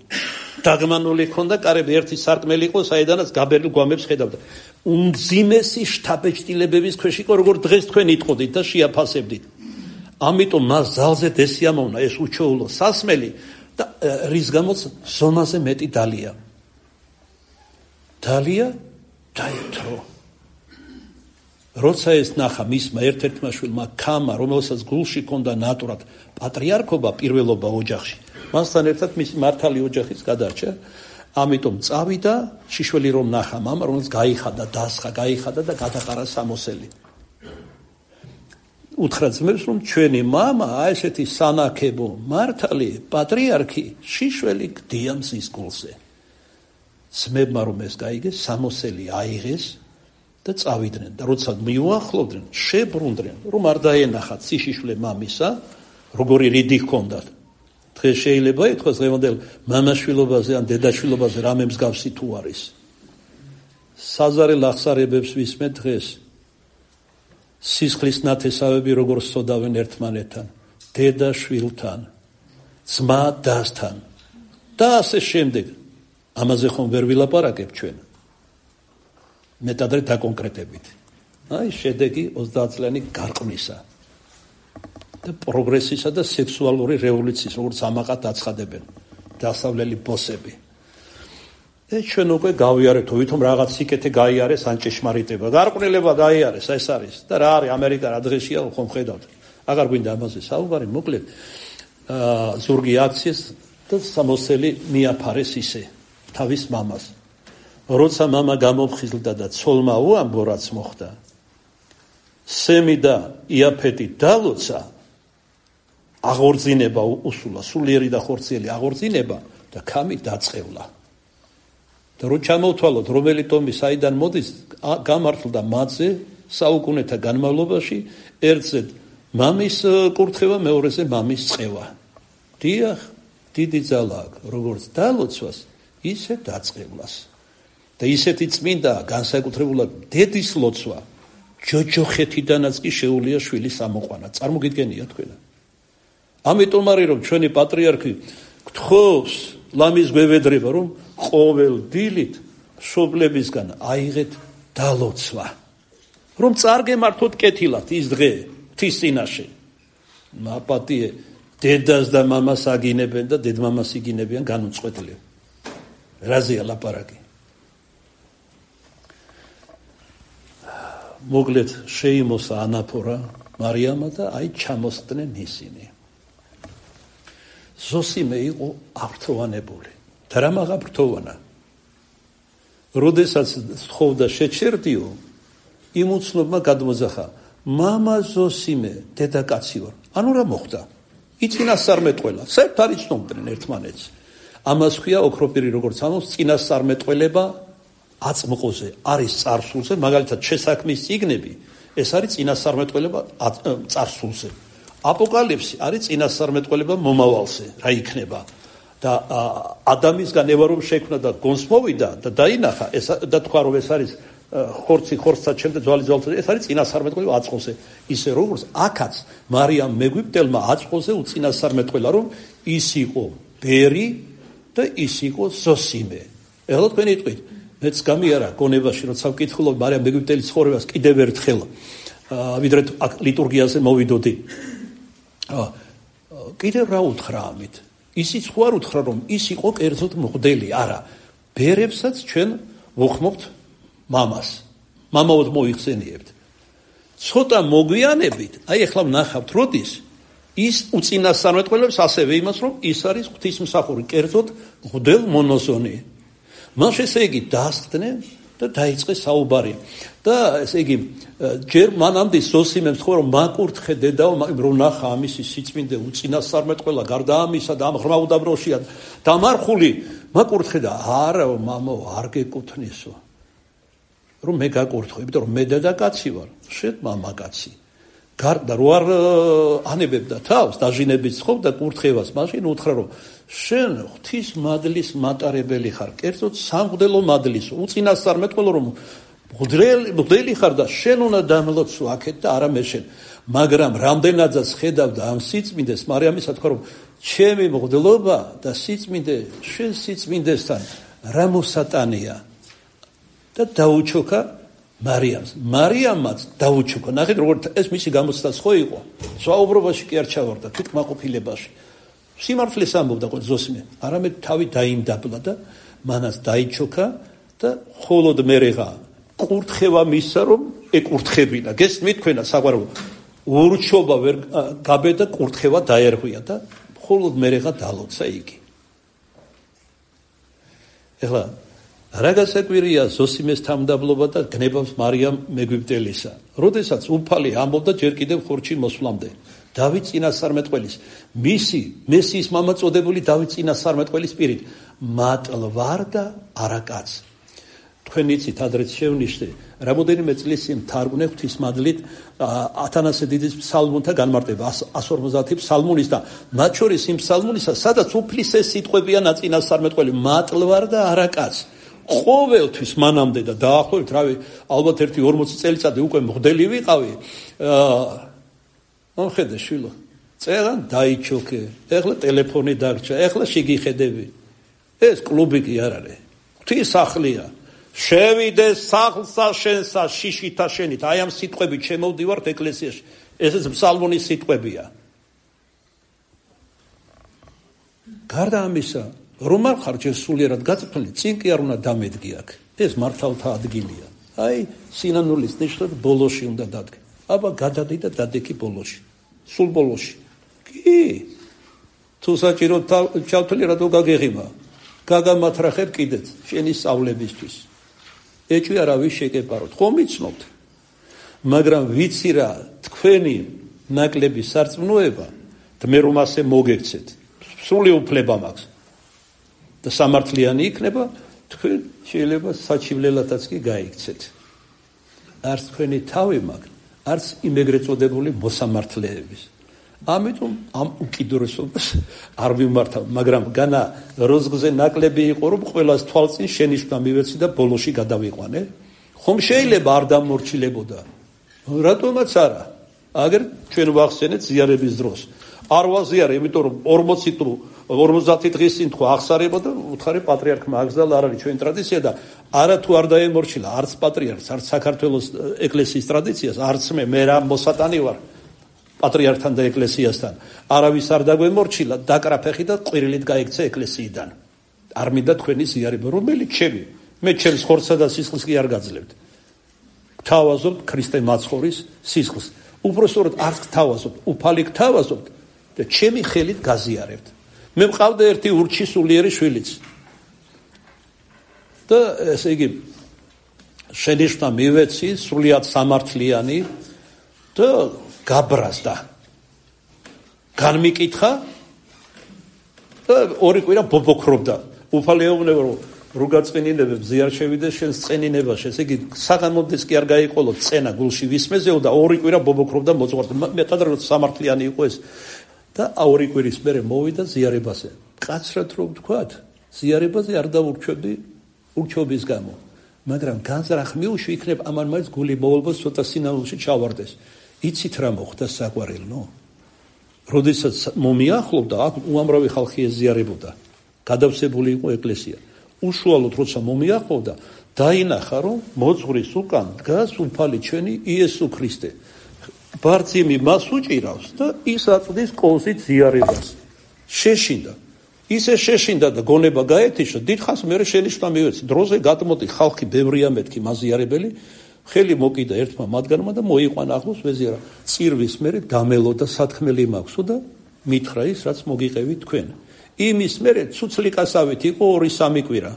A: დაგმანული ქონდა კარები, ერთი სარკმელი იყო, საიდანაც გაბერილ გვამებს ხედავდა. უმძიმესი შთაბეჭდილებების ქვეშ იყო, როგორ დღეს თქვენ იტყოდით და შეაფასებდით. ამიტომ მას ძალზედ ესიამოვნა ეს უჩვეულო სასმელი და რის გამოც ზონაზე მეტი დალია. დალია დაეთრო. როცა ეს ნახა მისმა ერთ-ერთმა შვილმა ქამა, რომელსაც გულში ჰქონდა ნატურად პატრიარქობა, პირველობა ოჯახში, მასთან ერთად მისი მართალი ოჯახიც გადარჩა. ამიტომ წავიდა, შიშველი რომ ნახა მამა, რომელიც გაიხადა, დასხა, გაიხადა და გადაყარა სამოსელი. უთხრა ძმებს, რომ ჩვენი მამა, აი ესეთი სანაქებო, მართალი, პატრიარქი, შიშველი გდია მზის გულზე. ძმებმა რომ ეს გაიგეს, სამოსელი აიღეს და წავიდნენ და როცა მიუახლოვდნენ, შებრუნდნენ, რომ არ დაენახათ სიშიშვლე მამისა, როგორი რიდი ჰქონდათ. დღეს შეიძლება ითქვას დღევანდელ მამაშვილობაზე ან დედაშვილობაზე რამე მსგავსი თუ არის. საზარელ აღსარებებს ვისმე დღეს. სისხლის ნათესავები როგორ სოდავენ ერთმანეთთან, დედა შვილთან, ძმა დასთან და ასე შემდეგ. ამაზე ხომ ვერ ვილაპარაკებ ჩვენ. მეტად არის დაკონკრეტებით. აი შედეგი ოცდაათ წლიანი გარყვნისა და პროგრესისა და სექსუალური რევოლუციის, როგორც ამაყად აცხადებენ დასავლელი ბოსები. და ჩვენ უკვე გავიარეთ, ვითომ რაღაც სიკეთე გაიარეს ან ჭეშმარიტება. გარყვნილება გაიარეს, ეს არის. და რა არის ამერიკა რა დღეშია, ხომ ხედავთ. აღარ გვინდა ამაზე საუბარი, მოკლედ აა ზურგი აქციეს და სამოსელი მიაფარეს ისე თავის მამას. როცა მამა გამოფხიზლდა და ცოლმა უამბო რაც მოხდა, სემი და იაფეტი დალოცა, აღორძინება უსულა, სულიერი და ხორციელი აღორძინება და ქამი დაწყევლა. და რო ჩამოვთვალოთ, რომელი ტომი საიდან მოდის, გამართლდა მათზე საუკუნეთა განმავლობაში ერთზე მამის კურთხევა, მეორეზე მამის წყევა. დიახ, დიდი ძალა აქვს, როგორც დალოცვას, ისე დაწყევლას. და ისეთი წმინდა განსაკუთრებულად დედის ლოცვა ჯოჯოხეთიდანაც კი შეუძლია შვილის ამოყვანა. წარმოგიდგენია თქვენ? ამიტომ არის რომ ჩვენი პატრიარქი გთხოვს ლამის გვევედრება რომ ყოველ დილით მშობლებისგან აიღეთ დალოცვა. რომ წარგემართოთ კეთილად ის დღე ღვთის წინაშე. მაპატიე დედას და მამას აგინებენ და დედმამას იგინებიან განუწყვეტლივ. რაზეა ლაპარაკი? მოგლეთ შეიმოსა ანაფორა მარიამა და აი ჩამოსწდნენ ისინი. ზოსიმე იყო აღფრთოვანებული. და რა მაღაფრთოვანა? როდესაც თხოვდა შეჩერდიო, იმ უცნობმა გადმოძახა, მამა ზოსიმე, დედაკაცი ვარ. ანუ რა მოხდა? იწინასწარმეტყველა. საერთოდ არ იცნობდნენ ერთმანეთს. ამას ქვია ოქროპირი როგორც ამოს წინასწარმეტყველება აწმყოზე, არის წარსულზე, მაგალითად შესაქმის წიგნები, ეს არის წინასწარმეტყველება წარსულზე. აპოკალიფსი არის წინასწარმეტყველება მომავალზე, რა იქნება. და ადამისგან ევა რომ შექმნა და გონს მოვიდა და დაინახა, ეს და თქვა რომ ეს არის ხორცი ხორცად შემდეგ ძვალი ძვალთან, ეს არის წინასწარმეტყველება აწმყოზე. ისე როგორც აქაც მარიამ მეგვიპტელმა აწმყოზე უწინასწარმეტყველა რომ ის იყო ბერი და ის იყო ზოსიმე. ეხლა თქვენ იტყვით, მეც გამიარა გონებაში, როცა ვკითხულობ მარიამ მეგვიპტელის ცხოვრებას კიდევ ერთხელ, ვიდრე ლიტურგიაზე მოვიდოდი. კიდევ რა უთხრა ამით? ისიც ხო არ უთხრა რომ ის იყო კერძოდ მღვდელი, არა. ბერებსაც ჩვენ ვუხმობთ მამას. მამაოდ მოიხსენიებთ. ცოტა მოგვიანებით, აი ახლა ვნახავთ, როდის ის უწინასწარმეტყველებს ასევე იმას, რომ ის არის ღვთისმსახური, კერძოდ მღვდელ მონოზონი. მას ესე იგი დასხდნენ და დაიწყეს საუბარი. და ესე იგი ჯერ მანამდე ზოსიმემ თქვა რომ მაკურთხე დედაო, რომ ნახა ამისი სიწმინდე უწინასწარმეტყველა, გარდა ამისა და ამ ღრმა უდაბროშია დამარხული, მაკურთხე და არა მამო, არ გეკუთვნისო. რომ მე გაკურთხო, იმიტომ რომ მე დედაკაცი ვარ, შენ მამაკაცი. გარდა რო არ ანებებდა თავს, დაჟინებით ხოვდა კურთხევას, მაშინ უთხრა რომ შენ ღვთის მადლის მატარებელი ხარ, კერძოდ სამღვდელო მადლის, უწინასწარმეტყველო რომ მღვდელი ხარ და შენ უნდა დამლოცო აქეთ და არა მე შენ. მაგრამ რამდენადაც ხედავდა ამ სიწმინდეს, მარიამისა თქვა რომ ჩემი მღვდლობა და სიწმინდე შენ სიწმინდესთან რა მოსატანია და დაუჩოქა მარიამს. მარიამაც დაუჩოქა. ნახეთ როგორ ეს მისი გამოცდაც ხო იყო. საუბრობაში კი არ ჩავარდა, თვითკმაყოფილებაში. სიმართლეს ამბობდა ყო ზოსიმე, არამედ თავი დაიმდაბლა და მანაც დაიჩოქა და ხოლოდ მერეღა კურთხევა მისცა რომ ეკურთხებინა. გესმით თქვენა საყვარელო? ურჩობა ვერ გაბედა, კურთხევა დაერღვია და ხოლოდ მერეღა დალოცა იგი. ეხლა რა გასაკვირია ზოსიმეს თამდაბლობა და გნებავს მარიამ მეგვიპტელისა. როდესაც უფალი ამბობდა ჯერ კიდევ ხორჩი მოსვლამდე, დავით წინასწარმეტყველის, მისი მესიის მამა წოდებული დავით წინასწარმეტყველის პირით, მატლვარ და არაკაც. თქვენ იცით, ადრეც შევნიშნე, რამოდენიმე წლის წინ თარგმნე ღვთისმადლით ათანასე დიდის ფსალმუნთა განმარტება, ას ორმოცდაათი ფსალმუნის და მათ შორის იმ ფსალმუნისა, სადაც უფლის ეს სიტყვებია ნაწინასწარმეტყველი, მატლვარ და არაკაც. ყოველთვის მანამდე და დაახლოებით, რავი, ალბათ ერთი ორმოცი წელიწადი უკვე მღვდელი ვიყავი. მომხედე შვილო, წერან დაიჩოქე, ეხლა ტელეფონი დაგჭა, ეხლა შეგიხედები. ეს კლუბი კი არ არის. ღვთის სახლია. შევიდე სახლსა შენსა შიშითა შენით. აი ამ სიტყვებით შემოვდივართ ეკლესიაში. ესეც ფსალმონის სიტყვებია. გარდა ამისა, რომ არ ხარ ჯერ სულიერად გაწვრთნილი, წინ კი არ უნდა დამედგი აქ. ეს მართალთა ადგილია. აი სინანულის ნიშნად ბოლოში უნდა დადგე. აბა გადადი და დადექი ბოლოში. სულ ბოლოში. კი. თუ საჭირო ჩავთვლი რატო გაგეღიმა. გაგამათრახებ კიდეც შენი სწავლებისთვის. ეჭვი არავის შეკეპაროთ. ხომ იცნობთ? მაგრამ ვიცი რა, თქვენი ნაკლები სარწმუნოება, და მე რომ ასე მოგექცეთ, სული უფლება მაქვს. და სამართლიანი იქნება, თქვენ შეიძლება საჩივლელათაც კი გაიქცეთ. არც თქვენი თავი მაგ, არც იმეგრეთ წოდებული მოსამართლეების. ამიტომ ამ უკიდურესობას არ ვიმართავ, მაგრამ განა როზგზე ნაკლები იყო, რომ ყველას თვალწინ შენიშვნა მივეცი და ბოლოში გადავიყვანე. ხომ შეიძლება არ დამორჩილებოდა? რატომაც არა? აგერ ჩვენ ვახსენეთ ზიარების დროს. არ ვაზიარე, იმიტომ რომ ორმოცი თუ ორმოცდაათი დღის წინ თქვა აღსარება და უთხარი პატრიარქმა აგზალა არ არის ჩვენი ტრადიცია და არა თუ არ დაემორჩილა არც პატრიარქს, არც საქართველოს ეკლესიის ტრადიციას, არც მე, მე რა მოსატანი ვარ პატრიარქთან და ეკლესიასთან. არავის არ დაგვემორჩილა, დაკრაფეხი და ყვირილით გაიქცა ეკლესიიდან. არ მინდა თქვენი ზიარება, რომელიც ჩემი, მე ჩემს ხორცსა და სისხლს კი არ გაძლევთ. გთავაზობთ ქრისტე მაცხოვრის სისხლს. უпроსტოდ არც გთავაზობთ, უფალი გთავაზობთ და ჩემი ხელით გაზიარებთ. მე მყავდა ერთი ურჩი სულიერი შვილიც. და ესე იგი შენიშვნა მივეცი, სრულიად სამართლიანი და გაბრაზდა. განმიკითხა და ორი კვირა ბობოქრობდა. უფალი ეუბნება რომ როგაწყვინინებებს ზიარ შევიდეს შენს წენინებაში. ესე იგი საღამოდეს კი არ გაიყოლო წენა გულში ვისმეზეო და ორი კვირა ბობოქრობდა მოძღვარდა. მეტად რომ სამართლიანი იყო ეს. და ორი კვირის მერე მოვიდა ზიარებაზე. კაცრად რომ ვთქვათ, ზიარებაზე არ დაურჩევდი ურჩეობის გამო. მაგრამ განზრახ მიუშვი იქნებ ამან მაინც გული მოვალბოს ცოტა სინამდვილეში ჩავარდეს. იცით რა მოხდა საყვარელო? როდესაც მომიახლოვდა, აქ უამრავი ხალხი ეზიარებოდა. გადავსებული იყო ეკლესია. უშუალოდ როცა მომიახლოვდა, დაინახა რომ მოძღვრის უკან დგას უფალი ჩვენი იესო ქრისტე. ბარძიმი მას უჭირავს და ის აწვდის კოზით ზიარებას. შეშინდა. ისე შეშინდა და გონება გაეთიშა, დიდხანს მერე შენიშვნა მივეცი. დროზე გადმოდი ხალხი ბევრია მეთქი მაზიარებელი, ხელი მოკიდა ერთმა მათგანმა და მოიყვანა ახლოს ვეზიარა. წირვის მერე დამელოდა სათქმელი მაქვსო და მითხრა ის, რაც მოგიყევით თქვენ. იმის მერე ცუცლიკასავით იყო ორი სამი კვირა.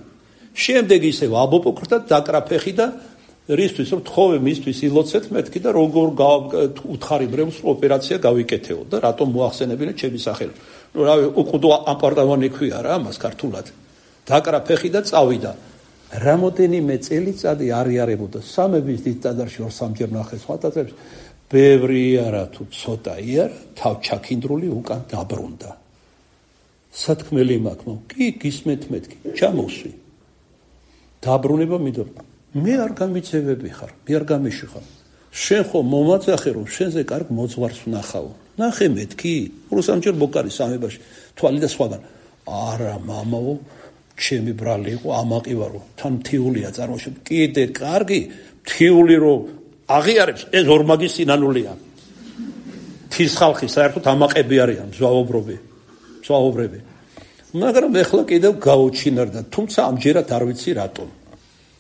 A: შემდეგ ისევ აბობოქრდა დაკრაფეხი და რისთვის რომ თხოვე მისთვის ილოცეთ მეთქი და როგორ უთხარი ბრევს ოპერაცია გავიკეთეო და რატომ მოახსენებინე ჩემი სახელი. ნუ რავი, უყუდო აპარტამანი ქვია რა ამას ქართულად. დაკრაფეხი და წავიდა. რამოდენიმე წელიწადი არიარებოდა სამების დიდ ტაძარში ორ სამჯერ ნახეს ხათათებს. ბევრი არა თუ ცოტა იარ თავ ჩაქინდრული უკან დაბრუნდა. სათქმელი მაქვს, კი გისმენთ მეთქი, ჩამოსვი. დაბრუნება მიდო. მე არ გამიცევები ხარ, მე არ გამიში ხარ. შენ ხო მომაწახე რომ შენზე კარგ მოძღვარს ვნახავ. ნახე მეთქი, ორ სამჯერ მოკარი სამებაში, თვალი და სხვაგან. არა მამაო, ჩემი ბრალი იყო, ამაყი ვარო, თან მთიულია წარმოშობ. კიდე კარგი, მთიული რომ აღიარებს, ეს ორმაგი სინანულია. თის ხალხი საერთოდ ამაყები არიან, ზვავობრები. ზვავობრები. მაგრამ ეხლა კიდევ გაუჩინარდა, თუმცა ამჯერად არ ვიცი რატომ.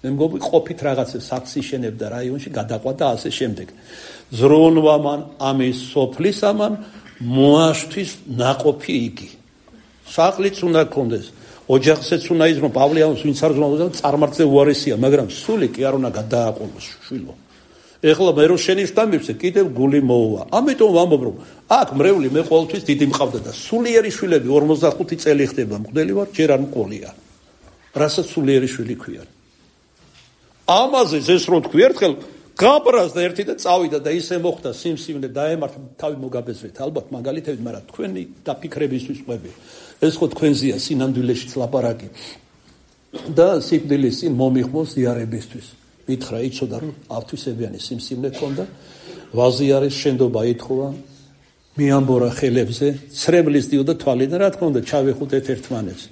A: მე მგონი ყოფით რაღაცა საქსი შენებდა რაიონში გადაყვა და ასე შემდეგ. ზრუნვამან ამის სოფლისამან მოაშთვის ნაყოფი იგი. სახლიც უნდა გქონდეს, ოჯახსაც უნდა იზრუნო, პავლიანს ვინც არ ზრუნავდა, წარმართზე უარესია, მაგრამ სული კი არ უნდა გადააყოლოს შვილო. ეხლა მე რო შენიშვნა მივცე, კიდევ გული მოუვა. ამიტომ ვამბობ რომ აქ მრევლი მე ყოველთვის დიდი მყავდა და სულიერი შვილები ორმოცდახუთი წელი ხდება მღვდელი ვარ, ჯერ არ მყოლია. რასაც სულიერი შვილი ქვია. ამაზე ეს რო თქვი ერთხელ გაბრაზდა ერთი და წავიდა და ისე მოხდა სიმსივნე დაემართა თავი მოგაბეზრეთ ალბათ მაგალითებით, მაგრამ თქვენი დაფიქრებისთვის ყვები. ეს ხო თქვენზეა სინამდვილეშიც ლაპარაკი. და სიკვდილის წინ მომიხმოს ზიარებისთვის. მითხრა იცოდა რომ ავთვისებიანი სიმსივნე ქონდა, ვაზიარის შენდობა ითხოვა, მიამბორა ხელებზე, ცრემლის დიოდა თვალიდან, რა თქმა უნდა ჩავეხუტეთ ერთმანეთს.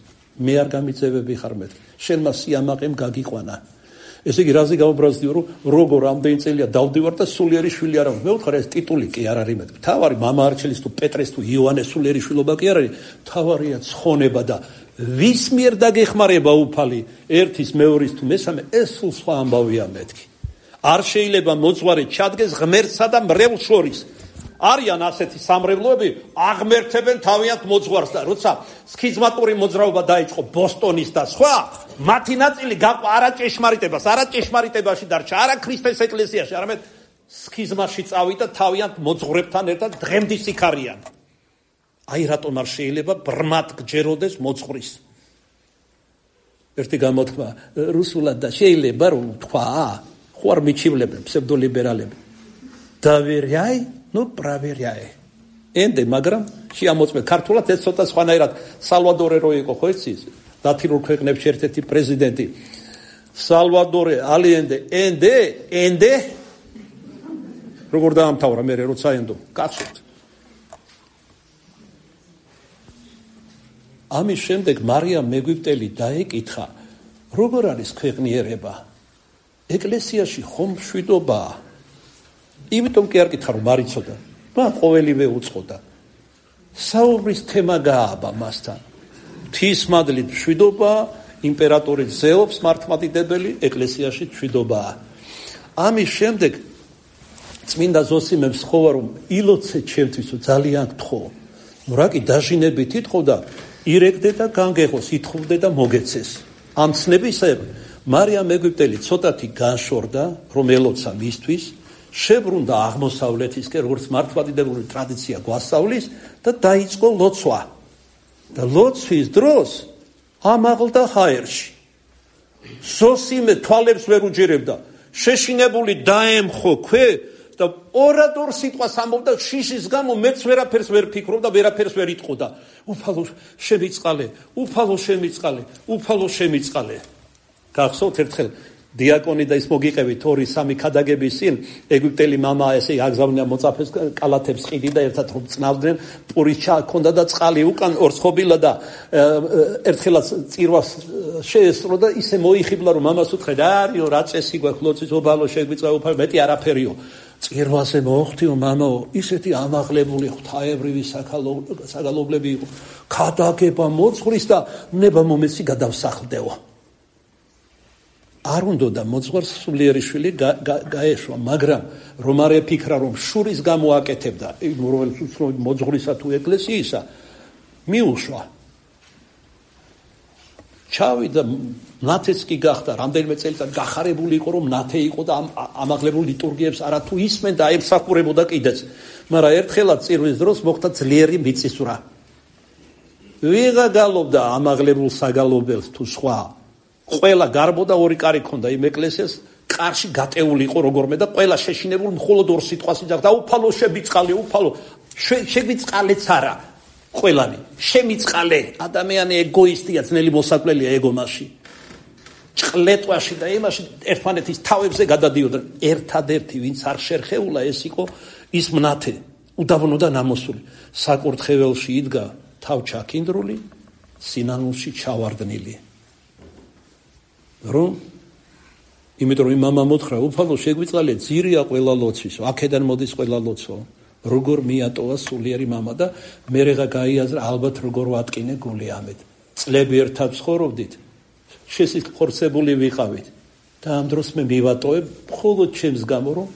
A: მე არ გამიწევები ხარ მეთქი. შენმა სიამაყემ გაგიყვანა. ესე იგი რაზე გავუბრაზდიო რომ როგორ ამდენი წელია დავდივარ და სულიერი შვილი არ აქვს. მე ვთქვა ეს ტიტული კი არ არის მეთქი. თავარი მამა არჩელის თუ პეტრეს თუ იოანეს სულიერი შვილობა კი არ არის. თავარია ცხონება და ვის მიერ დაგეხმარება უფალი ერთის მეორის თუ მესამე ეს სულ სხვა ამბავია მეთქი. არ შეიძლება მოძღვარი ჩადგეს ღმერთსა და მრევლს შორის. არიან ასეთი სამრევლოები აღმერთებენ თავიანთ მოძღვარს და როცა სქიზმატური მოძრაობა დაიწყო ბოსტონის და სხვა, მათი ნაწილი გაყვა არა ჭეშმარიტებას, არა ჭეშმარიტებაში დარჩა, არა ქრისტეს ეკლესიაში, არამედ სქიზმაში წავიდა თავიანთ მოძღვრებთან ერთად დღემდე სიქარიან. აი რატომ არ შეიძლება ბრმად გჯეროდეს მოძღვრის. ერთი გამოთქმა რუსულად და შეიძლება რომ თქვა ხო არ მიჩივლებენ ფსევდოლიბერალები დავერяй ну проверяй ენდე მაგრამ შეამოწმე ქართულად ეს ცოტა სხვანაირად სალვადორე რო იყო ხო იცი ლათინურ ქვეყნებში ერთ-ერთი პრეზიდენტი სალვადორე ალიენდე ენდე ენდე როგორ დაამთავრა მე როცა ენდო კაცოთ ამის შემდეგ მარიამ მეგვიპტელი დაეკითხა როგორ არის ქვეყნიერება ეკლესიაში ხომ მშვიდობაა იმიტომ კი არ კითხა რომ არ იცოდა და ყოველივე უწყოდა საუბრის თემა გააბა მასთან ღვთისმადლით მშვიდობაა იმპერატორი ზეობს მართლმადიდებელი ეკლესიაში მშვიდობაა ამის შემდეგ წმინდა ზოსიმემ სხოვა რომ ილოცე ჩემთვისო ძალიან გთხოვ ნუ რა კი დაჟინებით ითხოვ და ირეკდე და განგეღოს ითხოვდე და მოგეცეს ამ ცნებისებ მარიამ მეგვიპტელი ცოტათი განშორდა რომ ელოცა მისთვის შებრუნდა აღმოსავლეთისკენ როგორც მართლმადიდებელი ტრადიცია გვასწავლის და დაიწყო ლოცვა და ლოცვის დროს ამაღლდა ჰაერში ზოსიმე თვალებს ვერ უჯერებდა შეშინებული დაემხო ქვე და ორადორ სიტყვას ამბობდა შიშის გამო მეც ვერაფერს ვერ ფიქრობდა ვერაფერს ვერ იტყოდა უფალო შემიწყალე უფალო შემიწყალე უფალო შემიწყალე გახსოვთ ერთხელ დიაკონი და ის მოგიყევით ორი სამი ქადაგების წინ ეგვიპტელი мама ესე აგზავნია მოწაფეს კალათებს ყიდი და ერთად რომ წნავდნენ პურის ჩაქონდა და წყალი უკან ორცხობილა და ერთხელაც წირვას შეესწრო და ისე მოიხიბლა რომ მამას უთხრა არიო რა წესი გვაქვს ლოცვის ობალო შეგვიწვა უფალო მეტი არაფერიო წირვაზე მოხდიო მამაო ისეთი ამაღლებული ღვთაებრივი საგალობლები იყო ქადაგება მოძღვრის და ნება მომეცი გადავსახლდეო არ უნდა და მოძღვარს სულიერი შვილი გაეშვა მაგრამ რომ არ ეფიქრა რომ შურის გამო აკეთებდა რომელს მოძღვრისა თუ ეკლესიისა მიუშვა ჩავიდა ნათეც კი გახდა რამდენიმე წელიწად გახარებული იყო რომ ნათე იყო და ამაღლებულ ლიტურგიებს არა თუ ისმენ და ემსახურებოდა კიდეც მაგრამ ერთხელაც წირვის დროს მოხდა ძლიერი მიწისძვრა ვიღა გალობდა ამაღლებულ საგალობელს თუ სხვა ყველა გარბოდა ორი კარი ქონდა იმ ეკლესიას კარში გატეული იყო როგორმე და ყველა შეშინებულ მხოლოდ ორ სიტყვას იძახდა უფალო შემიწყალე უფალო შემიწყალეც არა ყველანი შემიწყალე ადამიანი ეგოისტია ძნელი მოსაკველია ეგომაში ჭყლეტვაში და იმაში ერთმანეთის თავებზე გადადიოდნენ ერთადერთი ვინც არ შერხეულა ეს იყო ის მნათე უდაბნო და ნამოსული საკურთხეველში იდგა თავ ჩაქინდრული სინანულში ჩავარდნილი რომ იმიტომ რომ მამა მოთხრა უფალო შეგვიწყალე ძირია ყველა ლოცვის აქედან მოდის ყველა ლოცვა როგორ მიატოვა სულიერი მამა და მერეღა გაიაზრა ალბათ როგორ ვატკინე გული ამეთ წლები ერთად ცხოვრობდით შესიხორცებული ვიყავით და ამ დროს მე მივატოვებ მხოლოდ ჩემს გამო რომ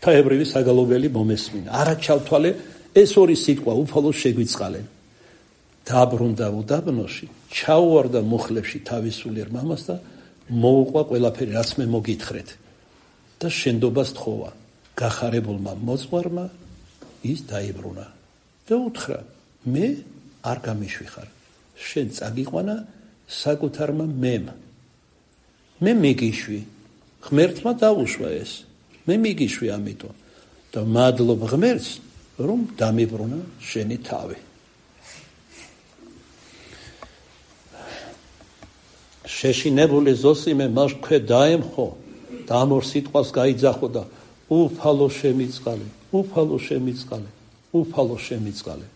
A: თაებრივი საგალობელი მომესმინა არა ჩავთვალე ეს ორი სიტყვა უფალო შეგვიწყალე დაბრუნდა უდაბნოში ჩაუვარდა მუხლებში თავის სულიერ მამას და მოუყვა ყველაფერი რაც მე მოგითხრეთ და შენდობას თხოვა გახარებულმა მოძღვარმა ის დაიბრუნა და უთხრა მე არ გამიშვიხარ შენ წაგიყვანა საკუთარმა მემ მე მიგიშვი ღმერთმა დაუშვა ეს მე მიგიშვი ამიტომ და მადლობ ღმერთს რომ დამიბრუნა შენი თავი შეშინებული ზოსიმე მას ქვე დაემხო და ამ ორ სიტყვას გაიძახო და უფალო შემიწყალე უფალო შემიწყალე უფალო შემიწყალე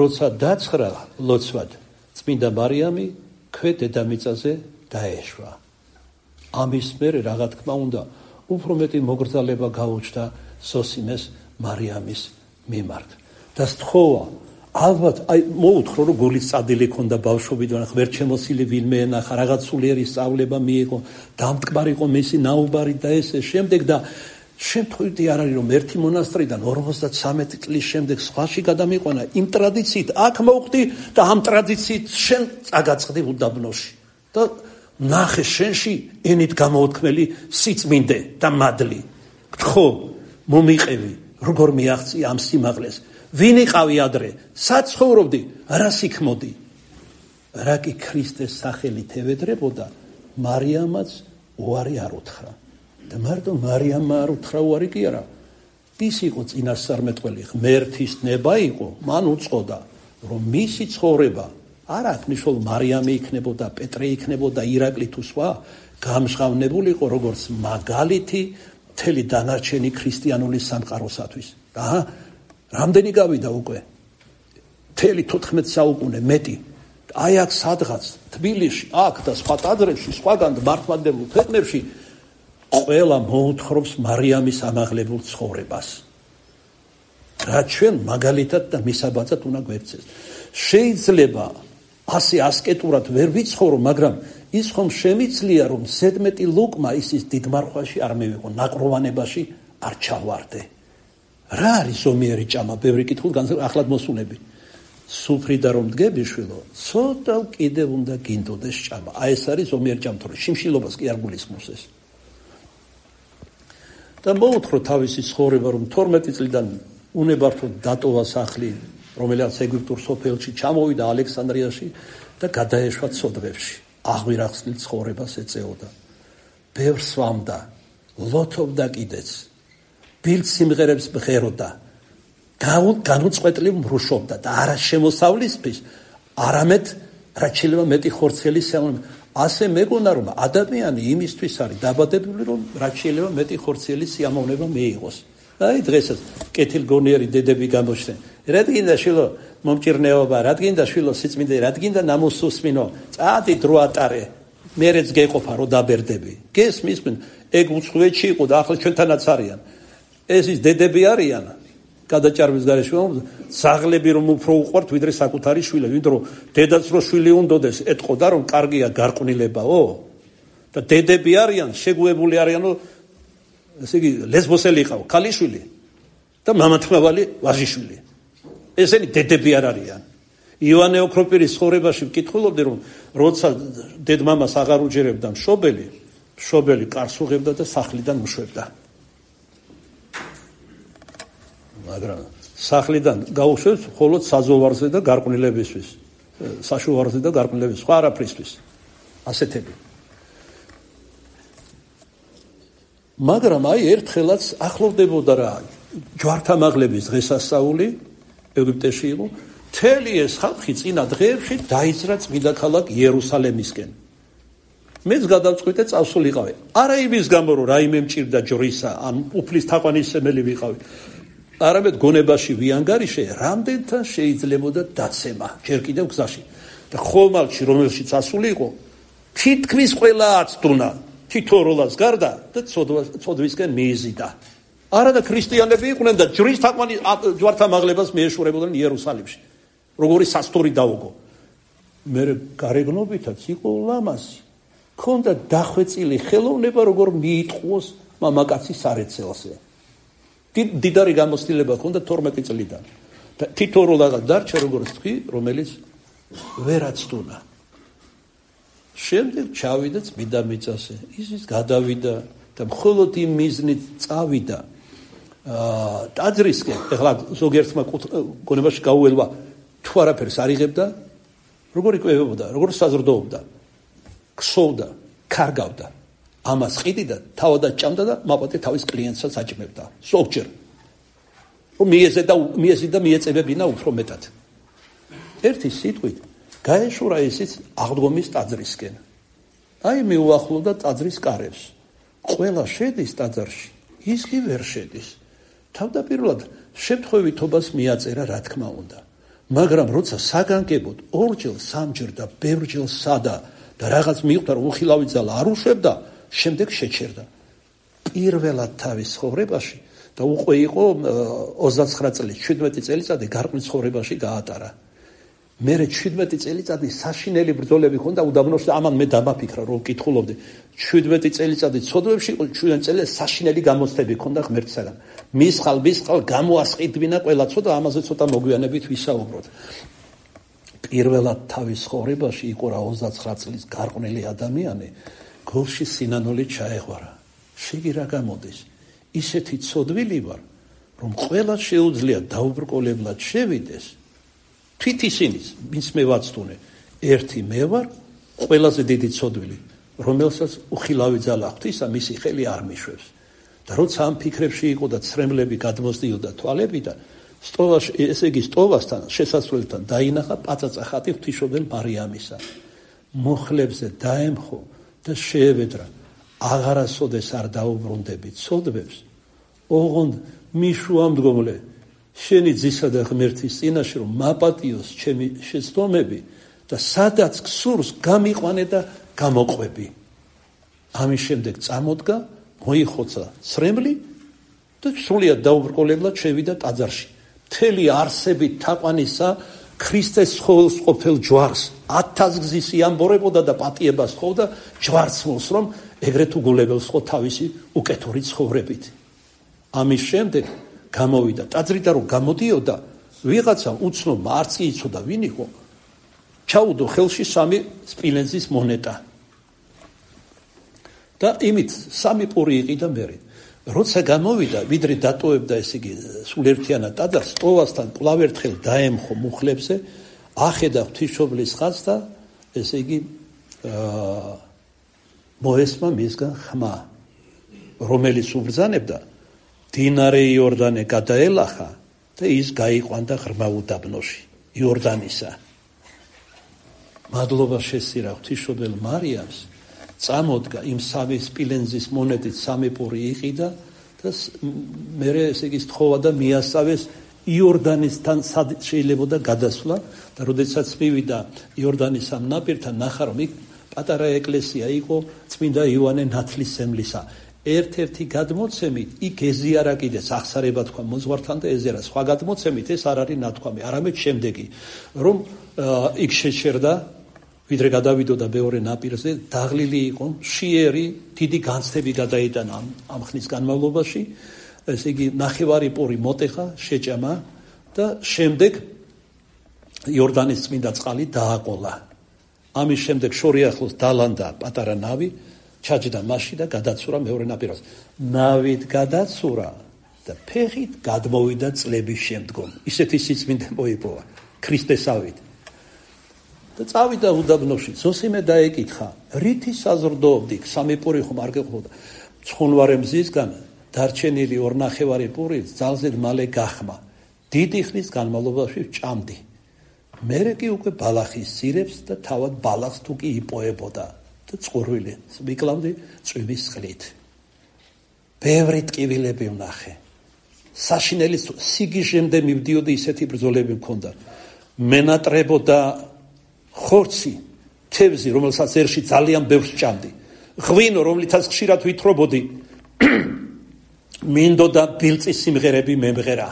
A: როცა დაცხრა ლოცვად წმინდა მარიამი ქვე დედამიწაზე დაეშვა ამის მერე რა თქმა უნდა უფრო მეტი მოგრძალება გაუჩნდა ზოსიმეს მარიამის მიმართ და სთხოვა ალბათ აი მოუთხოვ რომ გულის წადილი ქონდა ბავშვობიდან ღმერთშემოსილი ვინმე ენახა რაღაც სულიერი სწავლება მიიღო დამტკბარი იყო მისი ნაუბარი და ესე შემდეგ და შემთხვევით არ არის რომ ერთი მონასტრიდან ორმოცდათრამეტი წლის შემდეგ სხვაში გადამიყვანა იმ ტრადიციით აქ მოვხდი და ამ ტრადიციით შენ წაგაწყდი უდაბნოში და ნახე შენში ენით გამოუთქმელი სიწმინდე და მადლი გთხოვ მომიყევი როგორ მიაღწი ამ სიმაღლეს ვინ იყავი ადრე სად ცხოვრობდი რა სიქმოდი რა კი ქრისტეს სახელით ევედრებოდა, მარიამაც უარი არ უთხრა. და მარტო მარიამმა არ უთხრა უარი კი არა. ის იყო წინასწარმეტყველი ღმერთის ნება იყო, მან უწყოდა, რომ მისი ცხოვრება არ აქვს მნიშვნელობა მარიამი იქნებოდა, პეტრე იქნებოდა, ირაკლი თუ სხვა, გამჟღავნებული იყო როგორც მაგალითი მთელი დანარჩენი ქრისტიანული სამყაროსათვის. და რამდენი გავიდა უკვე? მთელი თოთხმეტ საუკუნე მეტი. აი აქ სადღაც თბილისში, აქ და სხვა ტაძრებში, სხვაგან მართლმადიდებლურ ქვეყნებში ყველა მოუთხრობს მარიამის ამაღლებულ ცხოვრებას. რა ჩვენ მაგალითად და მისაბაძად უნდა გვერცეს. შეიძლება ასე ასკეტურად ვერ ვიცხოვრო, მაგრამ ის ხომ შემიძლია, რომ ზედმეტი ლუკმა ისის დიდმარხვაში არ მივიღო, ნაკროვანებაში არ ჩავარდე. რა არის ზომიერი ჭამა? ბევრი კითხულ ახლად მოსულები. სუფრიდა რომ დგები შვილო, ცოტა კიდევ უნდა გინდოდეს ჭამა. აი ეს არის ზომიერი ჭამა, თორე შიმშილობას კი არ გულისხმობს ეს. და მოუთხოვ თავისი ცხოვრება, რომ თორმეტი წლიდან უნებართოდ დატოვა სახლი, რომელიც ეგვიპტურ სოფელში ჩამოვიდა ალექსანდრიაში და გადაეშვა ცოდვებში. აღვირახსნილ ცხოვრებას ეწეოდა. ბევრს სვამდა, ლოთობდა კიდეც. ბილდ სიმღერებს მღეროდა. განუწყვეტლივ მრუშობდა და არა შემოსავლისთვის, არამედ რაც შეიძლება მეტი ხორცელი სიამოვნება. ასე მეგონა, რომ ადამიანი იმისთვის არის დაბადებული, რომ რაც შეიძლება მეტი ხორცელი სიამოვნება მიიღოს. აი დღესაც კეთილგონიერი დედები გამოჩნდნენ. რა გინდა შვილო მომჭირნეობა, რა გინდა შვილო სიწმინდე, რა გინდა ნამოსუსმინო, წადი დრო ატარე. მერეც გეყოფა რომ დაბერდები. გესმის, ეგ უცხოეთში იყო და ახლა ჩვენთანაც არიან. ეს ის დედები არიან. გადაჭარბის გარეშე ზაღლები რომ უფრო უყვართ ვიდრე საკუთარი შვილები, ვიდრე დედაც რო შვილი უნდოდეს ეთყოდა რომ კარგია გარყვნილებაო და დედები არიან შეგუებული არიანო, ესე იგი ლესბოსელი იყავ ქალიშვილი და მამათმავალი ვაჟიშვილი. ესენი დედები არ არიან. ივანე ოქროპირის ცხოვრებაში ვკითხულობდი, რომ როცა დედმამას აღარ უჯერებდა მშობელი, მშობელი კარს უღებდა და სახლიდან უშვებდა. მაგრამ სახლიდან გაუშვებს მხოლოდ საზოვარზე და გარყვნილებისთვის, საშუალოზე და გარყვნილებისთვის, სხვა არაფრისთვის. ასეთები. მაგრამ აი ერთხელაც ახლოვდებოდა რა, ჯვართამაღლების დღესასწაული ეგვიპტეში იყო, მთელი ეს ხალხი წინა დღეებში დაიძრა წმინდა ქალაქ იერუსალემისკენ. მეც გადავწყვიტე წავსულიყავი. არა იმის გამო, რომ რაიმე მჭირდა ჯვრისა, ან უფლის თაყვანისმცემელი ვიყავი. არამედ გონებაში ვიანგარიშე, რამდენთან შეიძლებოდა დაცემა, ჯერ კიდევ გზაში. და ხომალდში, რომელშიც ასული იყო, თითქმის ყველა აცდუნა, თითო როლას გარდა და ცოდვისკენ მიიზიდა. არა და ქრისტიანები იყვნენ და ჯვრის თაყვანი ჯვართამაღლებას მიეშურებოდნენ იერუსალიმში. როგორი სასტური დაუგო. მე გარეგნობითაც იყო ლამაზი. ქონდა დახვეწილი ხელოვნება, როგორ მიიტყუოს მამაკაცის სარეცელზე. დიდარი გამოცდილება ჰქონდა თორმეტი წლიდან. და თითო როლაღა დარჩა, როგორც თქვი, რომელიც ვერ აცდუნა. შემდეგ ჩავიდა წმინდა მიწაზე. ისიც გადავიდა და მხოლოდ იმ მიზნით წავიდა ტაძრისკენ. ეხლა ზოგიერთმა გონებაში გაუელვა, თუ არაფერს არ იღებდა, როგორ იკვებებოდა, როგორ საზრდოობდა, ქსოვდა, კარგავდა. ამას ყიდიდა, თავადაც ჭამდა და მაპატე თავის კლიენტსაც აჭმევდა. ზოგჯერ რომ მიეზედა მიეზიდა მიეწებებინა უფრო მეტად. ერთი სიტყვით გაეშურა ისიც აღდგომის ტაძრისკენ. აი მიუახლოვდა ტაძრის კარებს. ყველა შედის ტაძარში, ის კი ვერ შედის. თავდაპირველად შემთხვევითობას მიაწერა, რა თქმა უნდა. მაგრამ როცა საგანგებოდ ორჯერ, სამჯერ და ბევრჯერ სადა და რაღაც მიხვდა, რომ უხილავი ძალა არ უშვებდა, შემდეგ შეჩერდა. პირველად თავის ცხოვრებაში და უკვე იყო ოცდაცხრა წელი, შვიდმეტი წელიწადი გარყვნილ ცხოვრებაში გაატარა. მერე შვიდმეტი წელიწადი საშინელი ბრძოლები ჰქონდა უდაბნოში და ამან მე დამაფიქრა, რომ ვკითხულობდი. შვიდმეტი წელიწადი ცოდვებში იყო, შვიდმეტი წელი საშინელი გამოცდები ჰქონდა ღმერთისაგან. მისხალ, მისხალ გამოასყიდვინა ყველა ცოდა, ამაზე ცოტა მოგვიანებით ვისაუბროთ. პირველად თავის ცხოვრებაში იყო რა ოცდაცხრა წლის გარყვნილი ადამიანი, გულში სინანული ჩაეღვარა. შეგი რა გამოდის? ისეთი ცოდვილი ვარ, რომ ყველა შეუძლია დაუბრკოლებლად შევიდეს. თვით ისინიც, ვინც მე ვაცდუნე, ერთი მე ვარ ყველაზე დიდი ცოდვილი, რომელსაც უხილავი ძალა ღვთისა მისი ხელი არ მიშვებს. და როცა ამ ფიქრებში იყო და ცრემლები გადმოსდიოდა თვალებიდან, სტოვაში, ესე იგი სტოვასთან შესასვლელთან დაინახა პაწაწა ხატი ღვთისმშობელ მარიამისა. მუხლებზე დაემხო და შეევედრა, აღარასოდეს არ დაუბრუნდები ცოდვებს, ოღონდ მიშუამდგომლე შენი ძისა და ღმერთის წინაშე რომ მაპატიოს ჩემი შეცდომები და სადაც გსურს გამიყვანე და გამოყვები. ამის შემდეგ წამოდგა, მოიხოცა ცრემლი და სრულიად დაუბრკოლებლად შევიდა ტაძარში. მთელი არსებით თაყვანისა ქრისტეს ცხოველს ყოფილ ჯვარს ათასგზის იამბორებოდა და პატიებას თხოვდა ჯვარცმულს, რომ ეგრეთ უგულებელს ხო თავისი უკეთური ცხოვრებით. ამის შემდეგ გამოვიდა ტაძრიდან, რომ გამოდიოდა, ვიღაცა უცნობმა არც კი იცოდა ვინ იყო, ჩაუდო ხელში სამი სპილენძის მონეტა და იმით სამი პური იყიდა მერე. როცა გამოვიდა, ვიდრე დატოვებდა ესე იგი სულერთიანად ტაძარს, სტოვასთან კვლავ ერთხელ დაემხო მუხლებზე, ახედა ღვთისმშობლის ხაზს და ესე იგი მოესმა მისგან ხმა, რომელიც უბრძანებდა დინარე იორდანე გადაელახა და ის გაიყვანდა ღრმა უდაბნოში იორდანისა. მადლობა შესწირა ღვთისმშობელ მარიამს, წამოდგა იმ სამი სპილენძის მონეტით სამი პური იყიდა და მერე ესე იგი სთხოვა და მიასწავეს იორდანისთან სად შეიძლებოდა გადასვლა და როდესაც მივიდა იორდანის ამ ნაპირთან, ნახა რომ იქ პატარა ეკლესია იყო წმინდა იოანე ნათლისმცემლისა. ერთ-ერთი გადმოცემით იქ ეზიარა კიდეც აღსარება თქვა მოძღვართან და ეზიარა, სხვა გადმოცემით ეს არ არის ნათქვამი, არამედ შემდეგი, რომ იქ შეჩერდა, ვიდრე გადავიდოდა მეორე ნაპირზე, დაღლილი იყო, მშიერი, დიდი განცდები გადაიტანა ამ, ამ ხნის განმავლობაში, ესე იგი ნახევარი პური მოტეხა, შეჭამა და შემდეგ იორდანის წმინდა წყალი დააყოლა. ამის შემდეგ შორი ახლოს დალანდა პატარა ნავი, ჩაჯდა მასში და გადაცურა მეორე ნაპირას. ნავით გადაცურა და ფეხით გადმოვიდა წლების შემდგომ. ისეთი სიწმინდე მოიპოვა ქრისტესავით. და წავიდა უდაბნოში, ზოსიმე დაეკითხა, რითი საზრდოობდი, სამი პური ხომ არ გეყოფოდა. ცხუნვარე მზისგან დარჩენილი ორნახევარი პური ძალზედ მალე გახმა. დიდი ხნის განმავლობაში ჭამდი. მერე კი უკვე ბალახის სირებს და თავად ბალახს თუ კი იპოებოდა და წყურვილი მიკლავდი წვიმის წყლით. ბევრი ტკივილები ვნახე. საშინელის სიგიჟემდე მივდიოდი, ისეთი ბრძოლები მქონდა. მენატრებოდა ხორცი, თევზი, რომელსაც ერში ძალიან ბევრს ჭამდი. ღვინო, რომლითაც ხშირად ვითხრობოდი, მინდოდა ბილწის სიმღერები მემღერა.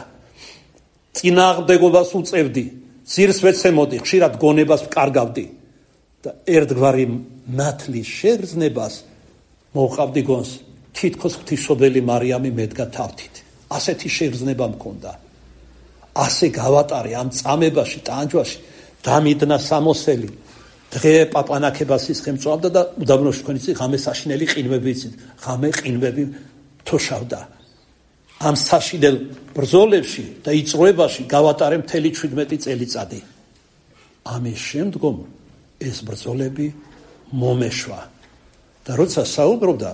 A: წინააღმდეგობას უწევდი, ძირს ვეცემოდი, ხშირად გონებას ვკარგავდი და ერთგვარი ნათლის შეგრძნებას მოუყავდი გონს, თითქოს ღვთისმშობელი მარიამი მედგა თავთით. ასეთი შეგრძნება მქონდა. ასე გავატარე ამ წამებაში, ტანჯვაში, დამიდნა სამოსელი, დღე პაპანაკებას ისხემწვავდა და უდაბნოში თქვენ იცით, ღამე საშინელი ყინვები იცით, ღამე ყინვები თოშავდა. ამ საშინელ ბრძოლებში და იწროებაში გავატარე მთელი შვიდმეტი წელიწადი. ამის შემდგომ ეს ბრძოლები მომეშვა და როცა საუბრობდა,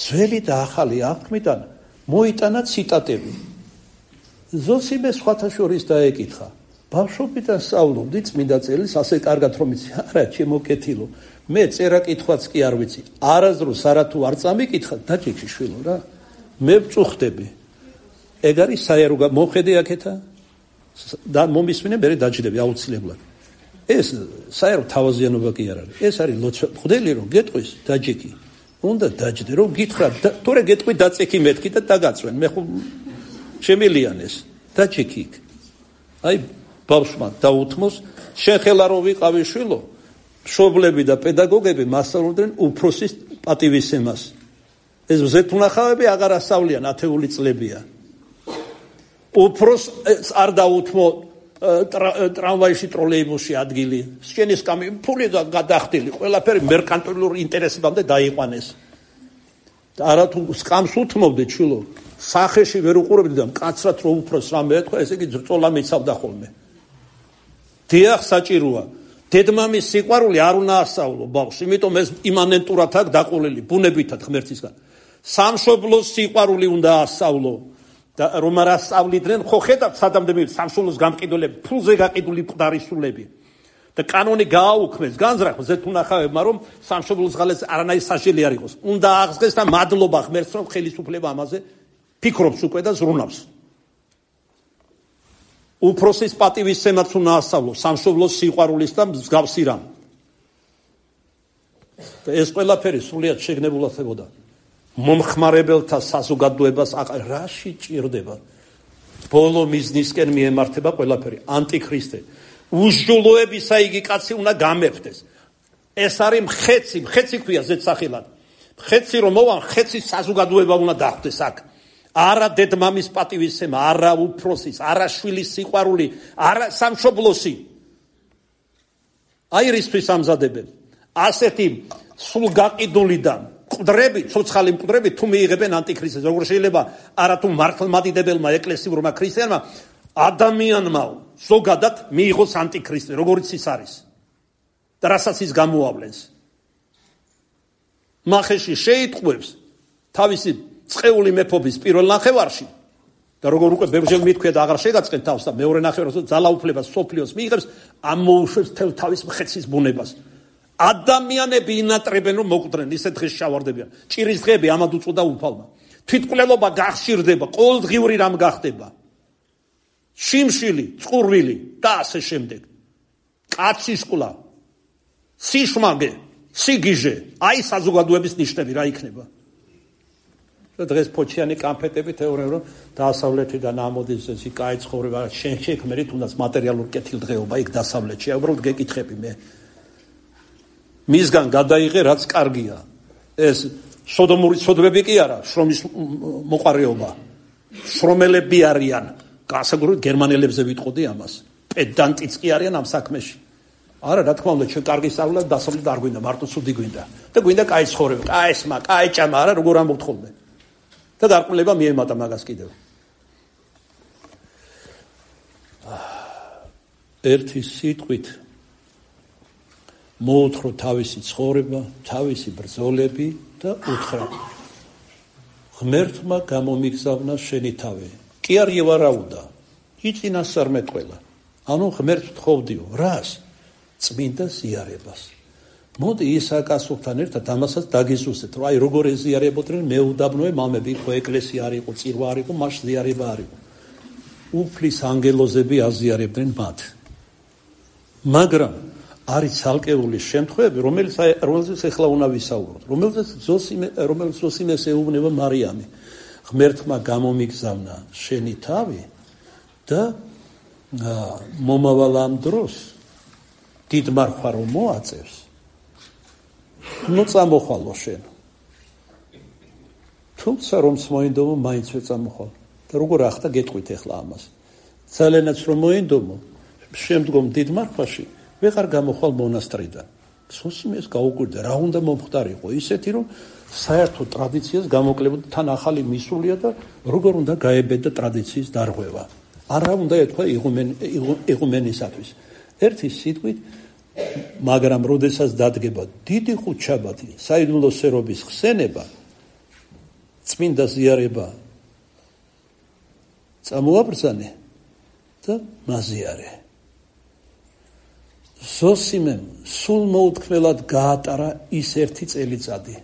A: ძველი და ახალი აღთქმიდან მოიტანა ციტატები. ზოსიმე სხვათა შორის დაეკითხა, ბავშვობიდან სწავლობდი წმინდა წერილს ასე კარგად რომ იცი, არა ჩემო კეთილო, მე წერა კითხვაც კი არ ვიცი, არასდროს არა თუ არ წამიკითხა, დაჭიქი შვილო რა, მე ვწუხდები. ეგ არის საერო მოხედე აქეთა და მომისმინე მე დაჭიდები აუცილებლად. ეს საერო თავაზიანობა კი არ არის. ეს არის ლოცვა. ხდელი რომ გეტყვის დაჭიქი. უნდა დაჭდე რომ გითხრა, თორე გეტყვი დაწიქი მეთქი და დაგაწვენ. მე ხო შემილიანეს დაჭიქი. აი ბავშვმა დაუთმოს, შენ ხელა რო ვიყავი შვილო, მშობლები და პედაგოგები მასწავლდნენ უფროსის პატივისცემას. ეს მზეთუნახავები აღარ ასწავლიან, ათეული წლებია. უფროს არ დაუთმო ტრამვაიში, ტროლეიბუსში ადგილი, სჩენის კამი, ფული და გადახდილი, ყველაფერი მერკანტილურ ინტერესებამდე დაიყვანეს. და არა თუ სკამს უთმობდე შვილო, სახეში ვერ უყურებდი და მკაცრად რო უფროს რამე ეთქვა, ესე იგი ძრწოლა მიცავდა ხოლმე. დიახ, საჭიროა. დედმამის სიყვარული არ უნდა ასწავლო ბავშვს, იმიტომ ეს იმანენტურად აქვს დაყოლილი ბუნებითად ღმერთისგან. სამშობლოს სიყვარული უნდა ასწავლო და რომ არ ასწავლიდნენ, ხო ხედავთ სადამდე სამშობლოს გამყიდველები, ფულზე გაყიდული მკვდარი სულები. და კანონი გააუქმეს განზრახ ზეთუნახავებმა, რომ სამშობლოს ღალეს არანაირი სასჯელი არ იყოს. უნდა აღსღეს და მადლობა ღმერთს, რომ ხელისუფლება ამაზე ფიქრობს უკვე და ზრუნავს. უფროსის პატივისცემაც უნდა ასწავლო სამშობლოს სიყვარულის და მსგავსი რამ. და ეს ყველაფერი სრულიად შეგნებულად ხდებოდა. მომხმარებელთა საზოგადოებას რაში ჭირდება? ბოლო მიზნისკენ მიემართება ყველაფერი. ანტიქრისტე. უსჯულოებისა იგი კაცი უნდა გამეფდეს. ეს არის მხეცი, მხეცი ქვია ზედსახელად. მხეცი რომ მოვა, მხეცის საზოგადოება უნდა დახვდეს აქ. არა დედმამის პატივისცემა, არა უფროსის, არა შვილის სიყვარული, არა სამშობლოსი. აი რისთვის ამზადებენ. ასეთი სულ გაყიდულიდან მკვდრები, ცოცხალი მკვდრები თუ მიიღებენ ანტიქრისტეს, როგორ შეიძლება არა თუ მართლმადიდებელმა ეკლესიურმა ქრისტიანმა ადამიანმა ზოგადად მიიღოს ანტიქრისტე, როგორც ის არის. და რასაც ის გამოავლენს. მახეში შეიტყვევს თავისი წყეული მეფობის პირველ ნახევარში და როგორ უკვე ბევრჯერ მithქვია და აღარ შეგაწყენ თავს და მეორე ნახევარში ძალაუფლებას სოფლიოს მიიღებს, ამოუშვებს თელ თავის მხეცის ბუნებას. ადამიანები ინატრებენ რომ მოკვდნენ, ისე დღეს შავარდებიან. ჭირის დღეები ამად უწოდა უფალმა. თვითმკვლელობა გახშირდება, ყოველდღიური რამ გახდება. შიმშილი, წყურვილი და ასე შემდეგ. კაცის ყლა, სიშვამე, სიგიჟე, აი საზოგადოების ნიშნები რა იქნება. და დღეს ფოჩიანი კამფეტები თეორია რომ დასავლეთიდან ამოდის ეს კაი ცხოვრება, შენ შექმნით თუნდაც მატერიალურ კეთილდღეობა იქ დასავლეთში. უბრალოდ გეკითხები მე. მისგან გადაიღე რაც კარგია. ეს სოდომური ცოდვები კი არა, შრომის მოყარეობა. შრომელები არიან. გასაგრუnt გერმანელებზე ვიტყოდი ამას. პედანტიც კი არიან ამ საქმეში. არა, რა თქმა უნდა, ჩვენ კარგი სწავლა დასავლეთ არ გვინდა, მარტო ცუდი გვინდა. და გვინდა კაი ცხოვრება, კაი ესმა, კაი ჭამა, არა, როგორ ამბობთ ხოლმე. და გარყვნილება მიემატა მაგას კიდევ. ერთი სიტყვით მოუთხრო თავისი ცხოვრება, თავისი ბრძოლები და უთხრა ღმერთმა გამომიგზავნა შენი თავი. კი არ ევარაუდა, იწინასწარმე ყველა. ანუ ღმერთს თხოვდიო, რას? წმინდა ზიარებას. მოდი ისაკასურთან ერთად ამასაც დაგიზუსტეთ, რომ აი როგორ ეზიარებოდნენ მეუდაბნოე მამები, ხო ეკლესია არ იყო, წირვა არ იყო, მას ზიარება არ იყო. უფლის ანგელოზები აზიარებდნენ მათ. მაგრამ არის ცალკეული შემთხვევები, რომელიც რომელზეც ახლა უნდა ვისაუბროთ, რომელზეც ზოსიმე, რომელიც ზოსიმეს ეუბნება მარიამი. ღმერთმა გამომიგზავნა შენი თავი და მომავალ ამ დროს დიდ მარხარო მოაწევს. ნუ წამოხვალო შენ. თუმცა რომც მოინდომო, მაინც ვერ წამოხვალ. და როგორ ახდა გეტყვით ახლა ამას. ძალიანაც რომ მოინდომო, შემდგომ დიდ მარხვაში ვეღარ გამოხვალ მონასტრიდან. სოსიმეს გაუკვირდა, რა უნდა მომხდარიყო, ისეთი რომ საერთო ტრადიციას გამოკლებოდა, თან ახალი მისულია და როგორ უნდა გაებედა ტრადიციის დარღვევა. არა უნდა ეთქვა იღუმენისათვის. ერთი სიტყვით, მაგრამ როდესაც დადგება დიდი ხუთშაბათი, საიდუმლო სერობის ხსენება, წმინდა ზიარება წამოაბრძანე და მაზიარე. ზოსიმემ სულ მოუთქმელად გაატარა ის ერთი წელიწადი.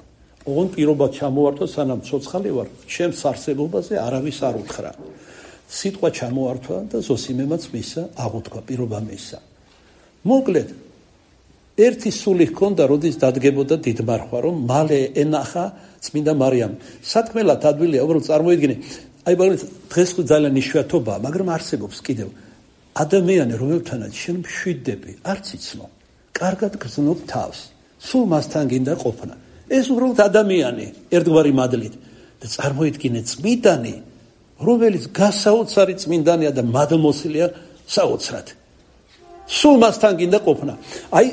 A: ოღონდ პირობა ჩამოართვა, სანამ ცოცხალი ვარ, ჩემს არსებობაზე არავის არ უთხრა. სიტყვა ჩამოართვა და ზოსიმემაც მისცა, აღუთქვა, პირობა მისცა. მოკლედ, ერთი სული ჰქონდა, როდის დადგებოდა დიდ მარხვა, რომ მალე ენახა წმინდა მარიამი. სათქმელად ადვილია, უბრალოდ წარმოიდგინე, აი მაგალითად დღეს ხო ძალიან იშვიათობაა, მაგრამ არსებობს კიდევ ადამიანი, რომელთანაც შენ მშვიდდები, არც იცნო, კარგად გრძნობ თავს, სულ მასთან გინდა ყოფნა. ეს უბრალოდ ადამიანი, ერთგვარი მადლით და წარმოიდგინე წმინდანი, რომელიც გასაოცარი წმინდანია და მადლმოსილია საოცრად. სულ მასთან გინდა ყოფნა. აი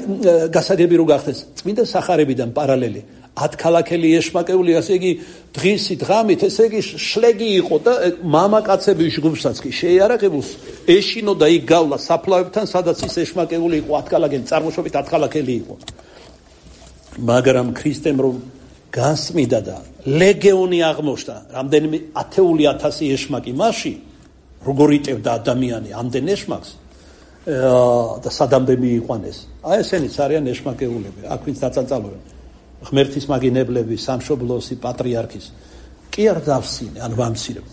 A: გასაგები რო გახდეს, წმინდა სახარებიდან პარალელი. ათქალაქელი ეშმაკეული, ასე იგი დღისით ღამით, ესე იგი შლეგი იყო და მამაკაცები ჯგუფსაც კი შეიარაღებულს ეშინო და იქ გავლა საფლავებთან, სადაც ის ეშმაკეული იყო, ათქალაქელი, წარმოშობით ათქალაქელი იყო. მაგრამ ქრისტემ რომ განსმიდა და ლეგეონი აღმოჩნდა, რამდენიმე ათეული ათასი ეშმაკი მასში, როგორ იტევდა ადამიანი ამდენ ეშმაკს და სადამდე მიიყვანეს. აი ესენიც არიან ეშმაკეულები, აქ ვინც დაწანწალობენ. ღმერთის მაგინებლები, სამშობლოსი, პატრიარქის კი არ დავსინე, ან ვამცირებ.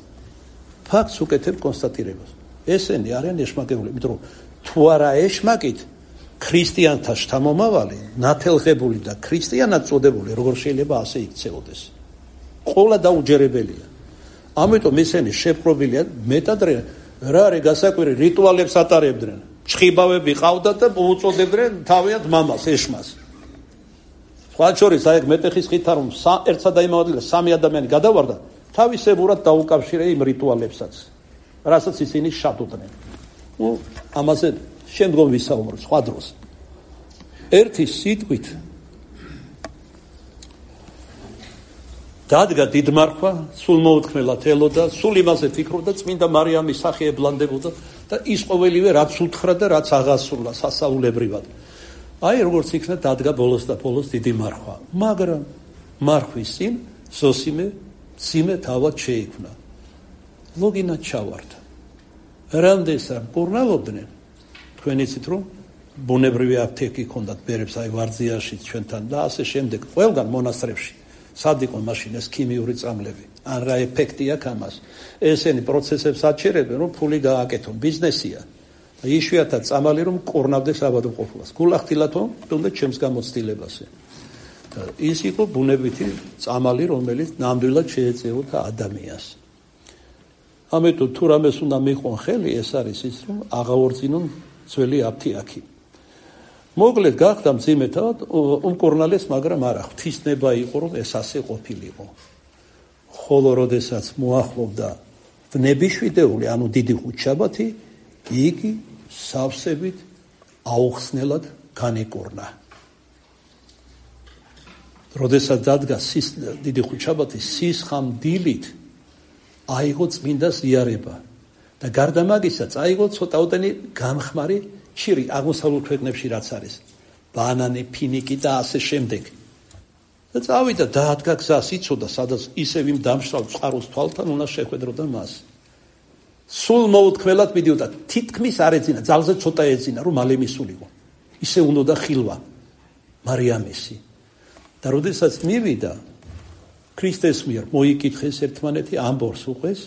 A: ფაქტს უკეთებ კონსტატირებას. ესენი არიან ეშმაკეულები, იმიტომ რომ თუ არა ეშმაკით ქრისტიანთა შთამომავალი, ნათელღებული და ქრისტიანად წოდებული, როგორ შეიძლება ასე იქცეოდეს? ყოლა დაუჯერებელია. ამიტომ ესენი შეპყრობილია, მეტად რა არის გასაკვირი, რიტუალებს ატარებდნენ. ჩხიბავები ყავდათ და უწოდებდნენ თავიანთ მამას, ეშმას. სხვა შორის აი მეტეხის ხითა რომ ერთსა და იმავე ადგილას სამი ადამიანი გადავარდა, თავისებურად დაუკავშირე იმ რიტუალებსაც, რასაც ისინი შადოდნენ. ნუ ამაზე შემდგომ ვისაუბროთ სხვა დროს. ერთი სიტყვით დადგა დიდმარხვა, სულ მოუთქმელად ელოდა, სულ იმაზე ფიქრობდა, წმინდა მარიამის სახე ებლანდებოდა და ის ყოველივე რაც უთხრა და რაც აღასრულა სასაულებრივად. აი როგორც იქნა დადგა ბოლოს და ბოლოს დიდი მარხვა. მაგრამ მარხვის წინ ზოსიმე მძიმე თავად შეიქმნა. ლოგინა ჩავარდა. რამდენსამ კურნალობდნენ, თქვენ იცით რომ ბუნებრივი აფთიაქი ჰქონდათ ბერებს აი ვარძიაში ჩვენთან და ასე შემდეგ ყველგან მონასტრებში. სად იყო მაშინ ეს ქიმიური წამლები? ან რა ეფექტი აქვს ამას? ესენი პროცესებს აჩერებენ, რომ ფული გააკეთონ, ბიზნესია. და იშვიათად წამალი რომ კურნავდეს ავადმყოფობას. გულახდილათო თუნდაც ჩემს გამოცდილებაზე. და ის იყო ბუნებითი წამალი, რომელიც ნამდვილად შეეწეოდა ადამიანს. ამიტომ თუ რამეს უნდა მიყვონ ხელი, ეს არის ის, რომ აღაორწინონ ძველი აფთიაქი. მოკლედ გახდა მძიმე თავად უმკურნალეს, მაგრამ არა, ღვთისნება იყო, რომ ეს ასე ყოფილიყო. ხოლო როდესაც მოახლოვდა ვნებიშვიდეული, ანუ დიდი ხუთშაბათი, იგი სავსებით აუხსნელად განიკურნა. როდესაც დადგა დიდი ხუთშაბათი, სისხამდილით აიღო წმინდა ზიარება და გარდა მაგისა აიღო ცოტაოდენი გამხმარი ჩირი აღმოსავლურ ქვეყნებში რაც არის, ბანანი, ფინიკი და ასე შემდეგ. და წავიდა დაადგა გზას, იცოდა, სადაც ისევ იმ დამშრალ წყაროს თვალთან უნდა შეხვედროდა მას. სულ მოუთქმელად მიდიოდა, თითქმის არ ეძინა, ძალზე ცოტა ეძინა, რომ მალე მისულიყო. ისე უნდა ხილვა მარიამისი. და როდესაც მივიდა, ქრისტეს მიერ მოიკითხეს ერთმანეთი, ამბობს უყვეს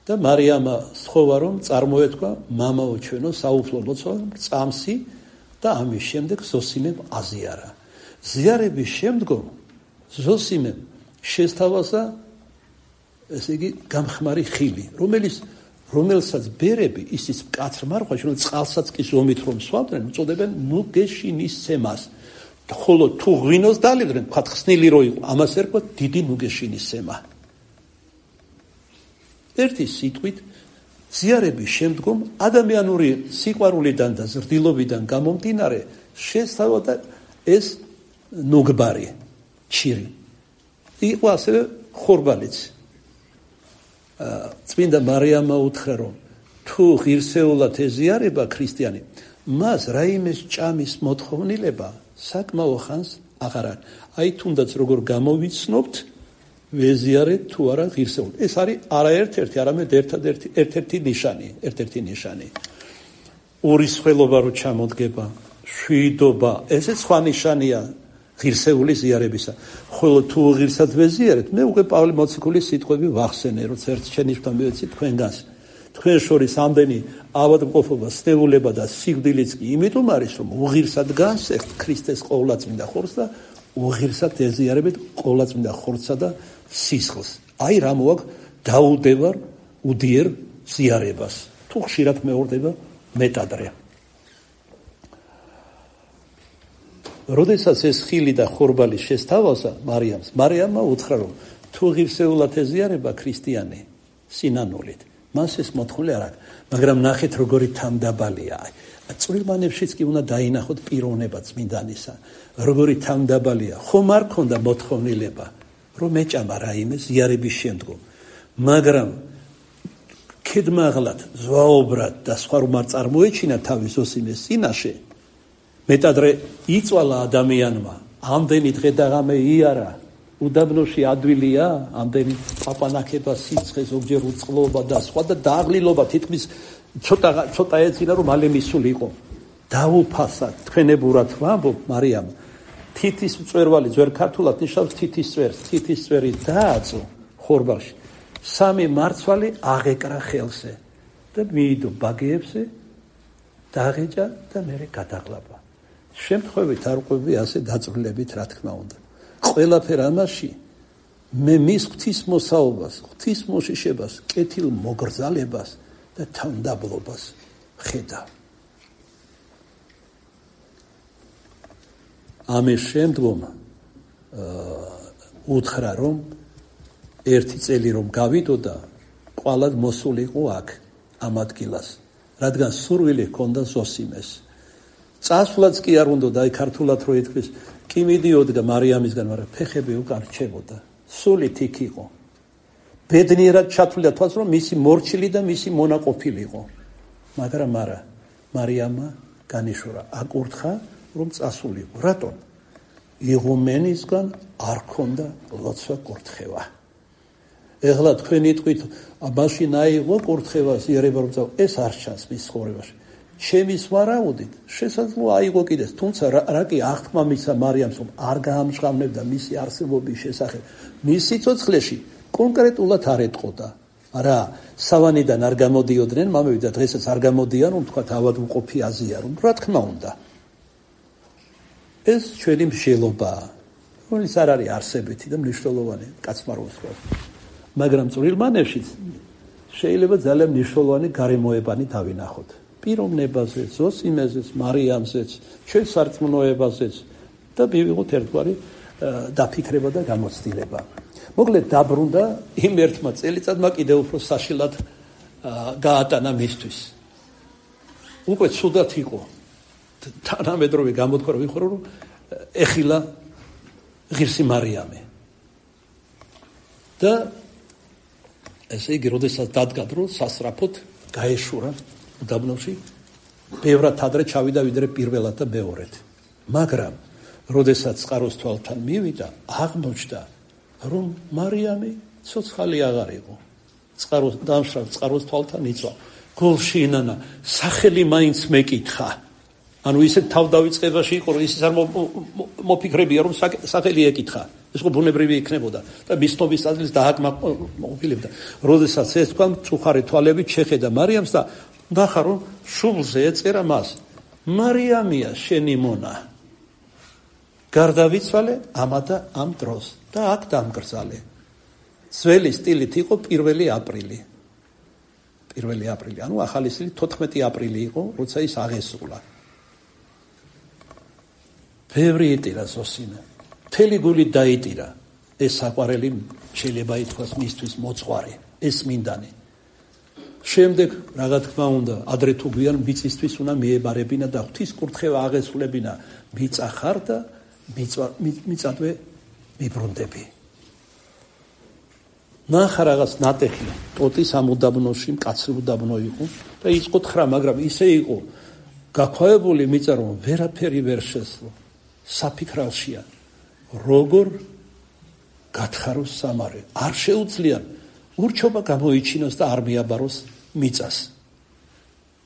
A: და მარიამა სთხოვა, რომ წარმოეთქვა მამაო ჩვენო საუფლო ლოცვა წამსი და ამის შემდეგ ზოსიმემ აზიარა. ზიარების შემდგომ ზოსიმემ შესთავაზა ესე იგი გამხმარი ხილი, რომელიც რომელსაც ბერები ისიც მკაცრ მარხვაში, რომ წყალსაც კი ზომით რომ სვამდნენ, უწოდებენ ნუგეშინისცემას. ხოლო თუ ღვინოს დალებდნენ, თქვათ ხსნილი რო იყო, ამას ერქვა დიდი ნუგეშინისცემა. ერთი სიტყვით, ზიარების შემდგომ ადამიანური სიყვარულიდან და ზრდილობიდან გამომდინარე შესთავაზა ეს ნუგბარი, ჩირი. იყო ასევე ხორბალიც. წმინდა მარიამა უთხრა, რომ თუ ღირსეულად ეზიარება ქრისტიანი, მას რაიმეს ჭამის მოთხოვნილება საკმაო ხანს აღარ არის. აი თუნდაც როგორ გამოვიცნობთ, ვეზიარეთ თუ არა ღირსეულად. ეს არის არა ერთ-ერთი, არამედ ერთადერთი ერთ-ერთი ნიშანი, ერთ-ერთი ნიშანი. ურისხველობა რო ჩამოდგება, შვიდობა, ესეც სხვა ნიშანია ღირსეული ზიარებისა. ხოლო თუ ღირსად ვეზიარეთ, მე უკვე პავლე მოციქულის სიტყვები ვახსენე, როცა ერთ შენიშვნა მივეცი თქვენგანს. თქვენ შორის ამდენი ავადმყოფობა, სტეულება და სიკვდილიც კი იმიტომ არის, რომ უღირსად განსეხთ ქრისტეს ყოვლადწმინდა ხორცს და უღირსად ეზიარებით ყოვლადწმინდა ხორცსა და სისხლს. აი რა მოაქვს დაუდევარ უდიერ ზიარებას. თუ ხშირად მეორდება მეტადრე. როდესაც ეს ხილი და ხორბალი შესთავაზა მარიამს, მარიამმა უთხრა, რომ თუ ღირსეულად ეზიარება ქრისტიანი სინანულით, მას ეს მოთხოვნა არ აქვს, მაგრამ ნახეთ როგორი თანდაბალია. წვრილმა ნებშიც კი უნდა დაინახოთ პიროვნება წმინდანისა, როგორი თავდაბალია. ხომ არ ქონდა მოთხოვნილება, რომ მეჭამა რაიმე ზიარების შემდგომ, მაგრამ ქედმაღლად, ზვაობრად და სხვა რომ არ წარმოეჩინა თავის ზოსიმეს წინაშე, მეტადრე იწვალა ადამიანმა, ამდენი დღე და ღამე იარა, უდაბნოში ადვილია, ამდენი პაპანაკება, სიცხე, ზოგჯერ უწყლობა და სხვა და დაღლილობა თითქმის ცოტა ცოტა ეცინა რომ მალე მისულიყო. დაუფასა თქვენებურად ვამბობ, მარიამ, თითის მწვერვალი ძვერ ქართულად ნიშნავს თითის წვერს, თითის წვერი დააწო ხორბალში. სამი მარცვალი აღეკრა ხელზე და მიიდო ბაგეებზე, დაღეჭა და მერე გადაღლაბა. შემთხვევით არ ყვები ასე დაწვრილებით, რა თქმა უნდა. ყველაფერ ამაში მე მის ღვთისმოსაობას, ღვთისმოშიშებას, კეთილ მოგრძალებას და თავდაბლობას ხედავ. ამის შემდგომ უთხრა რომ ერთი წელი რომ გავიდოდა, ყვალად მოსულიყო აქ ამ ადგილას, რადგან სურვილი ჰქონდა ზოსიმეს. წასვლაც კი არ უნდა და აი ქართულად რო ითქვის, კი მიდიოდა მარიამისგან, მაგრამ ფეხები უკან რჩებოდა. სულით იქ იყო. ბედნიერად ჩათვლიდა თვალს, რომ მისი მორჩილი და მისი მონაყოფილი იყო. მაგრამ არა, მარიამმა განიშურა, აკურთხა, რომ წასულიყო. რატომ? იღუმენისგან არ ქონდა ლოცვა კურთხევა. ეხლა თქვენი თქვით, მაშინ აიღო კურთხევა, იერება რომ წავა, ეს არ ჩანს მის ცხოვრებაში. ჩემის ვარაუდით, შესაძლოა აიღო კიდეც, თუმცა რა კი აღთქმა მისცა მარიამს, რომ არ გაამჟღავნებდა მისი არსებობის შესახებ. მის სიცოცხლეში კონკრეტულად არ ეტყოდა. რა, სავანიდან არ გამოდიოდნენ მამები და დღესაც არ გამოდიან, რომ თქვა ავადმყოფი აზიარონ, რა თქმა უნდა. ეს ჩვენი მსჯელობაა, რომელიც არ არის არსებითი და მნიშვნელოვანი კაცმაროს ხო. მაგრამ წვრილმა ნებშიც შეიძლება ძალიან მნიშვნელოვანი გარემოებანი დავინახოთ. პიროვნებაზეც, ზოსიმეზეც, მარიამზეც, ჩვენ სარწმუნოებაზეც და მივიღოთ ერთგვარი დაფიქრება და გამოცდილება. მოკლედ დაბრუნდა იმ ერთმა წელიწადმა კიდევ უფრო საშილად გაატანა მისთვის. უკვე ცუდად იყო. თანამედროვე გამოთქვა რომ ვიხარო რომ ეხილა ღირსი მარიამე. და ესე იგი, როდესაც დადგა დრო, სასწრაფოდ გაეშურა უდაბნოში, ბევრად ადრე ჩავიდა ვიდრე პირველად და მეორედ. მაგრამ როდესაც წყაროს თვალთან მივიდა, აღმოჩნდა, რომ მარიამი ცოცხალი აღარ იყო. წყაროს დამშრალ წყაროს თვალთან იწვა. გულში ინანა, სახელი მაინც მეკითხა. ანუ ისე თავდავიწყებაში იყო, რომ ისიც არ მოფიქრებია, რომ სახელი ეკითხა. ეს ხო ბუნებრივი იქნებოდა და მისნობის აზრის დააკმაყოფილებდა. როდესაც ეს თქვა, მწუხარე თვალებით შეხედა მარიამს და ნახა, რომ შუბლზე ეწერა მას, მარიამია შენი მონა. გარდავიცვალე ამა და ამ დროს და აქ დამგრძალე. ძველი სტილით იყო პირველი აპრილი. პირველი აპრილი, ანუ ახალი სტილით თოთხმეტი აპრილი იყო, როცა ის აღესრულა. ბევრი იტირა ზოსიმე. მთელი გული დაიტირა. ეს საყვარელი შეიძლება ითქვას მისთვის მოწყარი, ეს მინდანი. შემდეგ, რა თქმა უნდა, ადრე თუ გვიან მიწისთვის უნდა მიებარებინა და ღვთის კურთხევა აღესრულებინა, მიწა ხარ და მიწადვე მიბრუნდები. ნახა რაღაც ნატეხი, ტოტის ამ უდაბნოში, მკაცრი უდაბნო იყო და იწყო თხრა, მაგრამ ისე იყო გაქვავებული მიწა, რომ ვერაფერი ვერ შესძლო. საფიქრალშია, როგორ გათხაროს სამარე, არ შეუძლია ურჩობა გამოიჩინოს და არ მიაბაროს მიწას.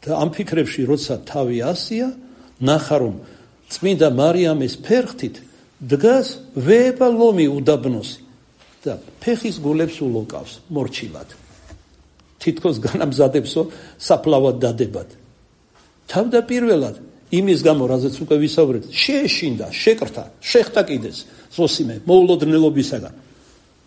A: და ამ ფიქრებში როცა თავი ასია, ნახა რომ წმინდა მარიამის ფერხთით დგას ვეება ლომი უდაბნოსი და ფეხის გულებს ულოკავს მორჩილად. თითქოს განამზადებსო საფლავად დადებად. თავდაპირველად იმის გამო, რაზეც უკვე ვისაუბრეთ, შეეშინდა, შეკრთა, შეხტა კიდეც ზოსიმე მოულოდნელობისაგან.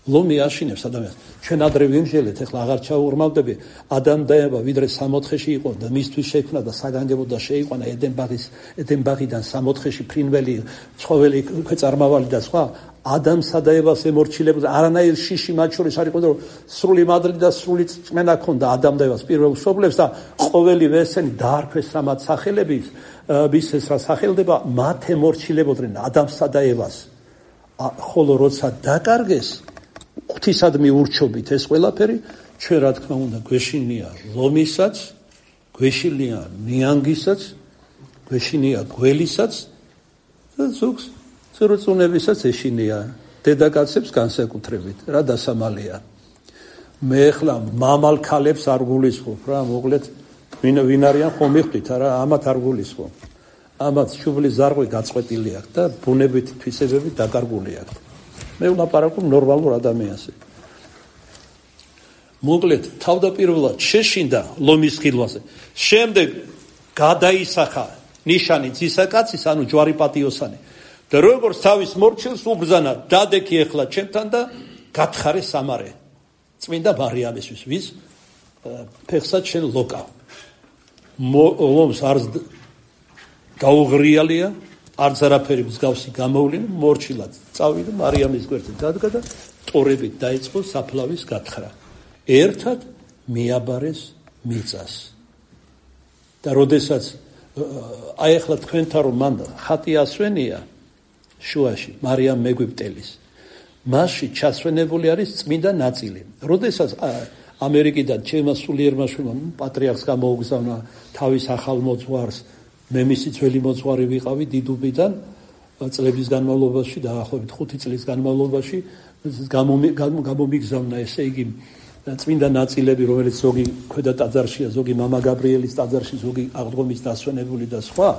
A: ლომი აშინებს ადამიანს. ჩვენ ადრე ვიმსჯელეთ, ეხლა აღარ ჩაუღრმავდები, ადამიანება ვიდრე სამოთხეში იყო და მისთვის შექმნა და საგანგებოდ და შეიყვანა ედენბაღის ედენბაღიდან სამოთხეში ფრინველი, ცხოველი, ქვეწარმავალი და სხვა, ადამიანსა და ევას ემორჩილებოდა, არანაირ შიში მათ შორის არ იყო, რომ სრული მადლი და სრული წმენა ქონდა ადამ და ევას პირველ მშობლებს და ყოველივე ესენი დაარქვეს რა მათ სახელების, ვის ეს რა სახელდება, მათ ემორჩილებოდნენ ადამიანსა და ევას. ხოლო როცა დაკარგეს ღვთისადმი ურჩობით ეს ყველაფერი, ჩვენ რა თქმა უნდა გვეშინია ლომისაც, გვეშინია ნიანგისაც, გვეშინია გველისაც და ზოგს წრუწუნებისაც ეშინია დედაკაცებს განსაკუთრებით რა დასამალია. მე ახლა მამალ ქალებს არ გულისხმობ რა, მოკლედ ვინ ვინ არიან ხომ მიხვდით არა, ამათ არ გულისხმობ. ამათ შუბლის ზარღვი გაწყვეტილი აქვს და ბუნებითი თვისებები დაკარგული აქვს. მე ვლაპარაკობ ნორმალურ ადამიანზე. მოკლედ თავდაპირველად შეშინდა ლომის ხილვაზე. შემდეგ გადაისახა ნიშანი ძისაკაცის, ანუ ჯვარი პატიოსანი. და როგორც თავის მორჩილს უბრძანა, დადექი ეხლა ჩემთან და გათხარე სამარე. წმინდა მარიამისთვის, ვის ფეხსაც შენ ლოკავ. ლომს არც გაუღრიალია, არც არაფერი მსგავსი გამოვლინე, მორჩილად წავიდა მარიამის გვერდზე დადგა და ტორებით დაიწყო საფლავის გათხრა. ერთად მიაბარეს მიწას. და როდესაც აი ახლა თქვენთან რომ მან ხატი ასვენია შუაში მარიამ მეგვიპტელის, მასში ჩასვენებული არის წმინდა ნაწილი. როდესაც ამერიკიდან ჩემმა სულიერმა შვილმა პატრიარქს გამოუგზავნა თავის ახალ მოძღვარს, მე მისი ძველი მოძღვარი ვიყავი დიდუბიდან წლების განმავლობაში, დაახლოებით ხუთი წლის განმავლობაში გამომიგზავნა, ესე იგი წმინდა ნაწილები, რომელიც ზოგი ქვედა ტაძარშია, ზოგი მამა გაბრიელის ტაძარში, ზოგი აღდგომის დასვენებული და სხვა,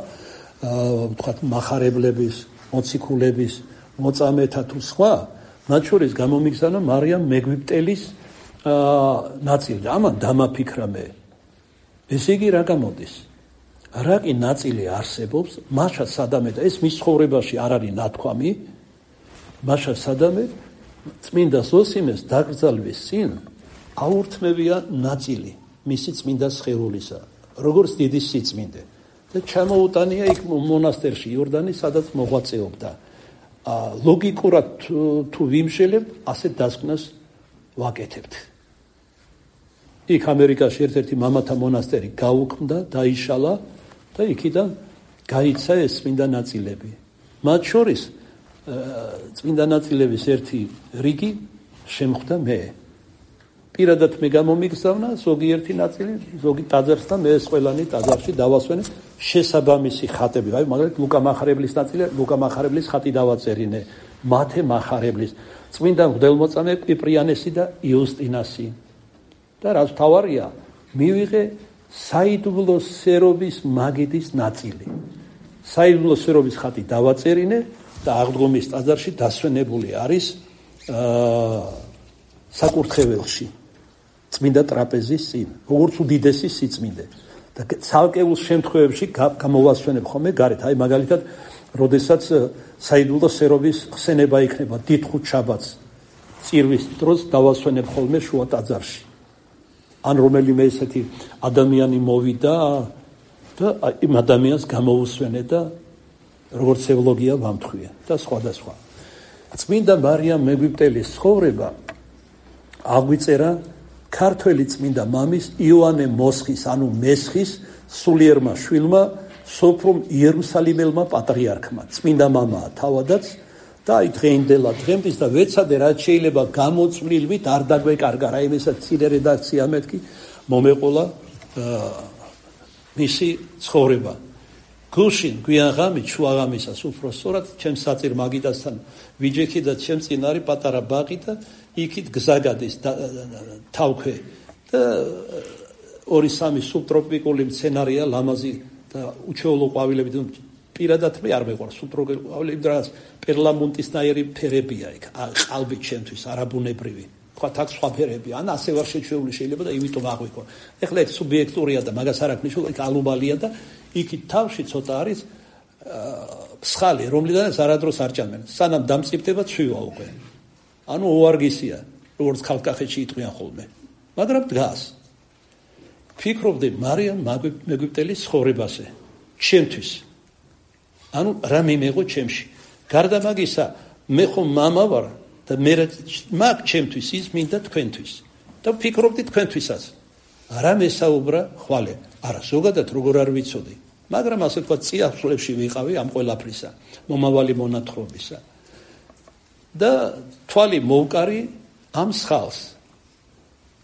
A: ვთქვათ, მახარებლების, მოციქულების, მოწამეთა თუ სხვა, მათ შორის გამომიგზავნა მარიამ მეგვიპტელის ნაწილი. ამან დამაფიქრა მე. ესე იგი რა გამოდის? რა კი ნაწილი არსებობს, მაშა სადამე და ეს მის ცხოვრებაში არ არის ნათქვამი, მაშა სადამე წმინდა ზოსიმეს დაკრძალვის წინ აურთმევია ნაწილი მისი წმინდა სხეულისა, როგორც დიდი სიწმინდე და ჩამოუტანია იქ მონასტერში იორდანის, სადაც მოღვაწეობდა. ლოგიკურად თუ ვიმშელებთ, ასეთ დასკვნას ვაკეთებთ. იქ ამერიკაში ერთ-ერთი მამათა მონასტერი გაუქმდა, დაიშალა და იქიდან გაიცა ეს წმინდა ნაწილები. მათ შორის წმინდა ნაწილების ერთი რიგი შემხვდა მე. პირადად მე გამომიგზავნა ზოგიერთი ნაწილი, ზოგი ტაძარს და მე ეს ყველანი ტაძარში დავასვენე შესაბამისი ხატები. აი მაგალითად ლუკა მახარებლის ნაწილი, ლუკა მახარებლის ხატი დავაწერინე, მათე მახარებლის, წმინდა მღვდელმოწამე კვიპრიანესი და იუსტინასი. და რაც თავარია, მივიღე საიდუმლო სერობის მაგიდის ნაწილი. საიდუმლო სერობის ხატი დავაწერინე და აღდგომის ტაძარში დასვენებული არის საკურთხეველში. წმინდა ტრაპეზის წინ, როგორც უდიდესი სიწმინდე. და ცალკეულ შემთხვევებში გამოვასვენებ ხოლმე გარეთ. აი მაგალითად, როდესაც საიდუმლო სერობის ხსენება იქნება დიდხუთ შაბათს, წირვის დროს დავასვენებ ხოლმე შუა ტაძარში. ან რომელიმე ესეთი ადამიანი მოვიდა და იმ ადამიანს გამოუსვენე და როგორც ევლოგია ვამთხვია და სხვა და სხვა. წმინდა მარიამ მეგვიპტელის ცხოვრება აღვიწერა ქართველი წმინდა მამის იოანე მოსხის, ანუ მესხის სულიერმა შვილმა, სოფრომ იერუსალიმელმა პატრიარქმა. წმინდა მამაა თავადაც და აი დღეინდელა დღემდის და ვეცადე რაც შეიძლება გამოწვლილვით არ დაგვეკარგა რა იმესაც ცირე რედაქცია მეთქი მომეყოლა მისი ცხოვრება. გუშინ გვიანღამით შუაღამისას უფრო სწორად ჩემს საწირ მაგიდასთან ვიჯექი და ჩემს წინ არის პატარა ბაღი და იქით გზა გადის თავქვე და ორი სამი სუბტროპიკული მცენარეა ლამაზი და უჩვეულო ყვავილები. პირადად მე არ მეყვარს სუბტროპიკული ყვავილები, რაღაც პერლამუნტისნაირი ფერებია იქ, ყალბი ჩემთვის არაბუნებრივი. თქვათ აქ სხვა ფერებია, ან ასე ვარ შეჩვეული შეიძლება და იმიტომ აღვიქვა. ეხლა ეს სუბიექტურია და მაგას არ აქვს ნიშნულობა, იქ ალუბალია და იქით თავში ცოტა არის ფსხალი, რომლიდანაც არადროს არ ჭამენ. სანამ დამწიფდება ცვივა უკვე. ანუ უარგისია, როგორც ქალკახეთში იტყვიან ხოლმე. მაგრამ დგას. ფიქრობდი მარიამ მეგვიპტელის ცხოვრებაზე, ჩემთვის. ანუ რა მიმეღო ჩემში. გარდა მაგისა, მე ხომ მამა ვარ და მე მაგ ჩემთვის ის მინდა თქვენთვის და ვფიქრობდი თქვენთვისაც არა მესაუბრა ხვალე არა ზოგადად როგორ არ ვიცოდი მაგრამ ასე თქვა წიაღწევში ვიყავი ამ ყველაფრისა მომავალი მონათხრობისა და თვალი მოვკარი ამ სხალს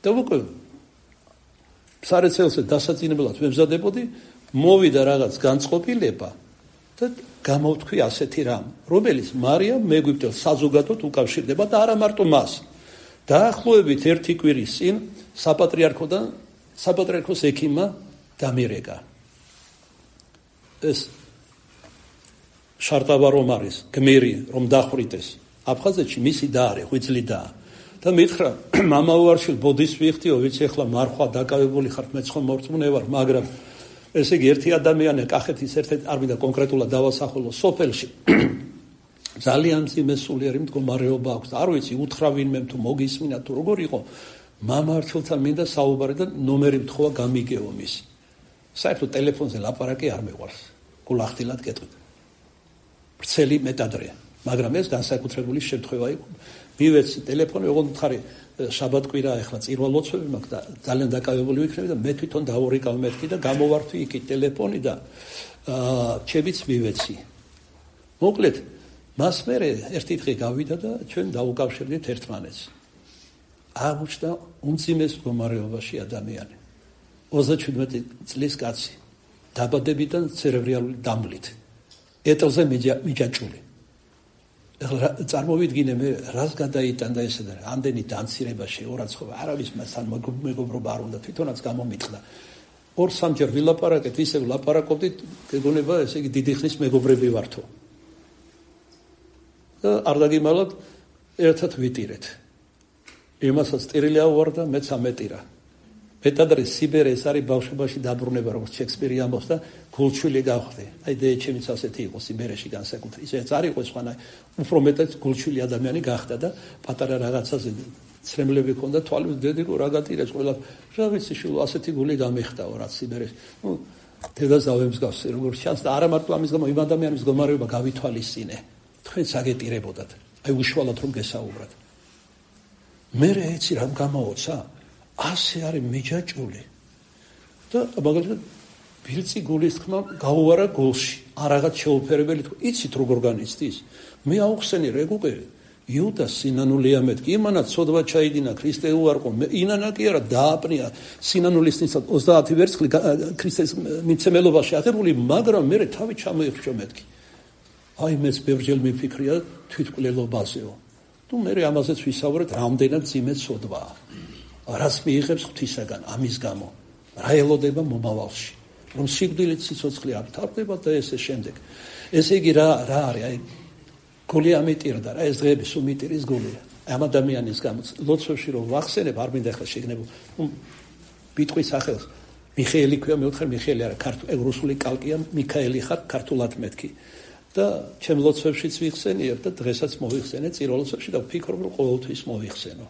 A: და უკვე სარეცელზე დასაწინებლად ვემზადებოდი მოვიდა რაღაც განწყობილება და გამოვთქვი ასეთი რამ რომელიც მარიამ მეგვიპტელ საზოგადოდ უკავშირდება და არა მარტო მას დაახლოებით ერთი კვირის წინ საპატრიარქოდან საპატრიარქოს ექიმმა დამირეკა ეს შარტავა რომ არის გმირი რომ დახვრიტეს აფხაზეთში მისი და არის ღვიძლი და და მითხრა მამა ვარშილ ბოდის ვიხდიო ვიცი ახლა მარხვა დაკავებული ხარ მე ცხო მორწმუნე ვარ მაგრამ ესე იგი ერთი ადამიანი კახეთის ერთ-ერთი არ მინდა კონკრეტულად დავასახელო სოფელში ძალიან მძიმე სულიერი მდგომარეობა აქვს არ ვიცი უთხრა ვინმე თუ მოგისმინა თუ როგორ იყო მამართლთან მინდა საუბარი და ნომერი მთხოვა გამიგეო მის საერთოდ ტელეფონზე ლაპარაკი არ მეყვარს გულახდილად გეტყვით ვრცელი მეტადრეა მაგრამ ეს განსაკუთრებული შემთხვევა იყო მივეცი ტელეფონი ოღონდ ხარი შაბათკვირა ახლა წირვალოცვები მაქვს და ძალიან დაკავებული ვიქნები და მე თვითონ დავორიკავ მეთქი და გამოვართვი იქით ტელეფონი და ჩემიც მივეცი მოკლედ მას მერე ერთი დღე გავიდა და ჩვენ დაუკავშირდით ერთმანეთს აღმოჩნდა უმძიმეს მდგომარეობაში ადამიანი ოცდაშვიდმეტი წლის კაცი დაბადებიდან ცერებრალური დამლით ეტლზე მიჯაჭული ეხლა წარმოვიდგინე მე რას გადაიტანდა ესე და ამდენი დამცირება შეურაცხყოფა არავის მასთან მეგობრობა არ უნდა თვითონაც გამომიტყდა ორ სამჯერ ვილაპარაკეთ ისევ ლაპარაკობდით გეგონება ესე იგი დიდი ხნის მეგობრები ვართო და არ დაგიმალოთ ერთად ვიტირეთ იმასაც ტირილი ავარდა მეც ამეტირა მეტადრე სიბერე ეს არის ბავშვობაში დაბრუნება როგორც შექსპირი ამბობს და გულჩვილი გავხდი აი და ჩემიც ასეთი იყო სიბერეში განსაკუთრებით ისეც არ იყო სხვა უფრო მეტად გულჩვილი ადამიანი გახდა და პატარა რაღაცაზე ცრემლები ჰქონდა თვალებს დედიკო რა გატირეს ყველა რა ვიცი შულო ასეთი გული გამეხტაო რაც სიბერეში ნუ დედას დავემსგავსე როგორც ჩანს და არა მარტო ამის გამო იმ ადამიანის მდგომარეობა გავითვალისწინე თქვენც აგეტირებოდათ აი უშუალოდ რომ გესაუბრათ მე ეცი რამ გამოოცა ასე არის მიჯაჭული და მაგალითად ბილწი გულის თქმა გაუვარა გულში არ რაღაც შეუფერებელი თქო იცით როგორ განიცდის მე აუხსენი რეგუყე იუდა სინანულია მეთქი იმანა ცოდვა ჩაიდინა ქრისტე უარყო ინანა კი არა დააპნია სინანულის ნიცად ოცდაათი ვერცხლი ქრისტეს მიცემელობაში აღებული მაგრამ მე თავი ჩამოიხრჩო მეთქი აი მეც ბევრჯერ მიფიქრია თვითკვლელობაზეო თუ მე ამაზეც ვისაუბრეთ რამდენად ძიმე ცოდვაა რას მიიღებს ღვთისაგან ამის გამო რა ელოდება მომავალში რომ სიკვდილით სიცოცხლე არ თავდება და ესე შემდეგ ესე იგი რა რა არის აი გული ამიტირდა რა ეს დღეები სუმიტირის გულია ამ ადამიანის გამო ლოცვებში რომ ვახსენებ არ მინდა ახლა შეგნებო ბიტყვის სახელს მიხეილი ქვია მე ვთხარ მიხეილი არა ქართულ რუსული კალკია მიქაელი ხარ ქართულად მეთქი და ჩემ ლოცვებშიც ვიხსენიებ და დღესაც მოვიხსენე წირვა ლოცვებში და ვფიქრობ რომ ყოველთვის მოვიხსენო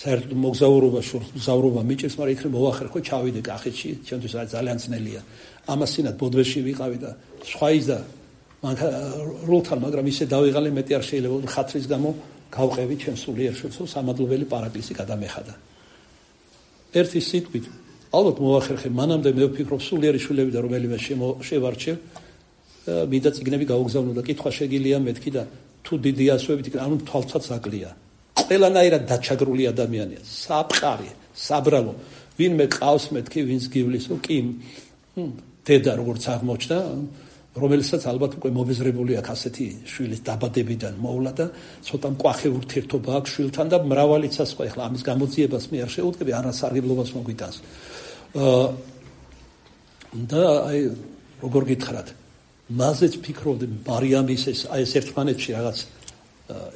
A: საერთოდ მოგზაურობა მოგზაურობა მიჭირს მაგრამ იქ მოვახერხო ჩავიდე კახეთში ჩემთვის ძალიან ძნელია ამასინად ბოდვეში ვიყავი და სხვა ის და როლთან მაგრამ ისე დავიღალე მეტი არ შეიძლება ხათრის გამო გავყევი ჩემ სულიერ შვილს სამადლობელი პარაკლისი გადამეხადა ერთი სიტყვით ალბათ მოვახერხე მანამდე მე ვფიქრობ სულიერი შვილები და რომელიმე შევარჩევ მინდა წიგნები გაუგზავნო და კითხვა შეგილია მეთქი და თუ დიდი ასოებით ანუ თვალცაც აკლია ყველანაირად დაჩაგრული ადამიანია საფყარი საბრალო ვინმე ყავს მეთქი ვინც გივლისო კი დედა როგორც აღმოჩნდა რომელსაც ალბათ უკვე მობეზრებული აქვს ასეთი შვილის დაბადებიდან მოვლა და ცოტა მკვახე ურთიერთობა აქვს შვილთან და მრავალიცას ხო ახლა ამის გამოძიებას მე არ შეუდგები არასარგებლობას მოგვიტანს და აი როგორ გითხრათ მაზეც ფიქრობდი მარიამის ეს აი ეს ერთმანეთში რაღაც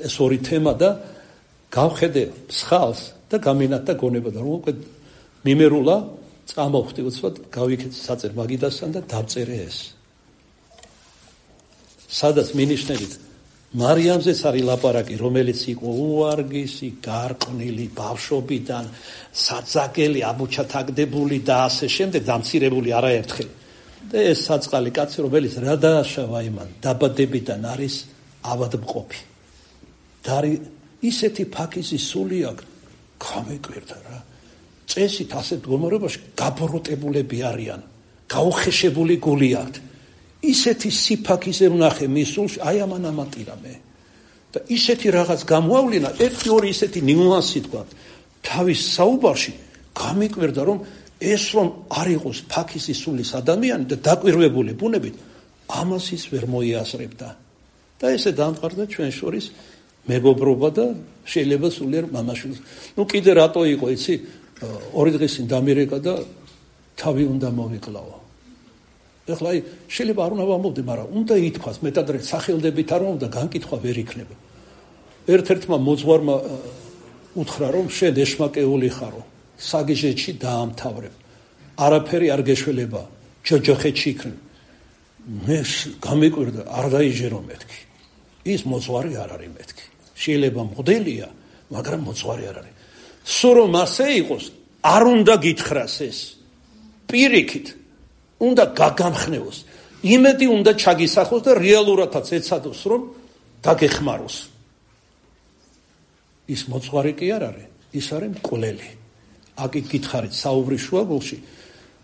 A: ეს ორი თემა და გავხედე მსხალს და გამინათ და გონება და რომ უკვე მიმერულა წამოვხდი უცბად გავიქეთ საწერ მაგიდასთან და დავწერე ეს სადაც მინიშნებით მარიამზეც არის ლაპარაკი რომელიც იყო უარგისი გარყვნილი ბავშვობიდან საძაგელი ამოჩათაგდებული და ასე შემდეგ დამცირებული არაერთხელ და ეს საწყალი კაცი რომელიც რა დააშავა იმან დაბადებიდან არის ავადმყოფი. და არის ისეთი ფაქიზი სული აქვს, გამეკვირდა რა. წესით ასეთ გომორებაში გაბოროტებულები არიან, გაუხეშებული გული აქვთ. ისეთი სიფაქიზე ვნახე მის სულში, აი ამან ამატირა მე. და ისეთი რაღაც გამოავლინა, ერთი ორი ისეთი ნიუანსი თქვა. თავის საუბარში გამეკვირდა, რომ ეს რომ არ იყოს ფაქიზი სულის ადამიანი და დაკვირვებული ბუნებით, ამას ის ვერ მოიაზრებდა. და ესე დამყარდა ჩვენ შორის მეგობრობა და შეიძლება სულიერ მამაშვილს. ნუ კიდე რატო იყო, იცი? ორი დღის წინ დამირეკა და თავი უნდა მოვიკლავო. ეხლა აი შეიძლება არ უნდა ვამბობდი, მაგრამ უნდა ითქვას, მეტადრე სახელდებით არ უნდა განკითხვა ვერ იქნება. ერთ-ერთმა მოძღვარმა უთხრა, რომ შენ ეშმაკეული ხარო, საგიჟეთში დაამთავრებ. არაფერი არ გეშველება, ჯოჯოხეთში იქნებ. მე გამეკვირდა, არ დაიჯერო მეთქი. ის მოძღვარი არ არის მეთქი. შეიძლება მოდელია, მაგრამ მოძღვარი არ არის. სულ რომ ასე იყოს, არ უნდა გითხრას ეს. პირიქით უნდა გაგამხნევოს. იმედი უნდა ჩაგისახოს და რეალურადაც ეცადოს, რომ დაგეხმაროს. ის მოძღვარი კი არ არის, ის არის მკვლელი. აკი გითხარით საუბრის შუაგულში,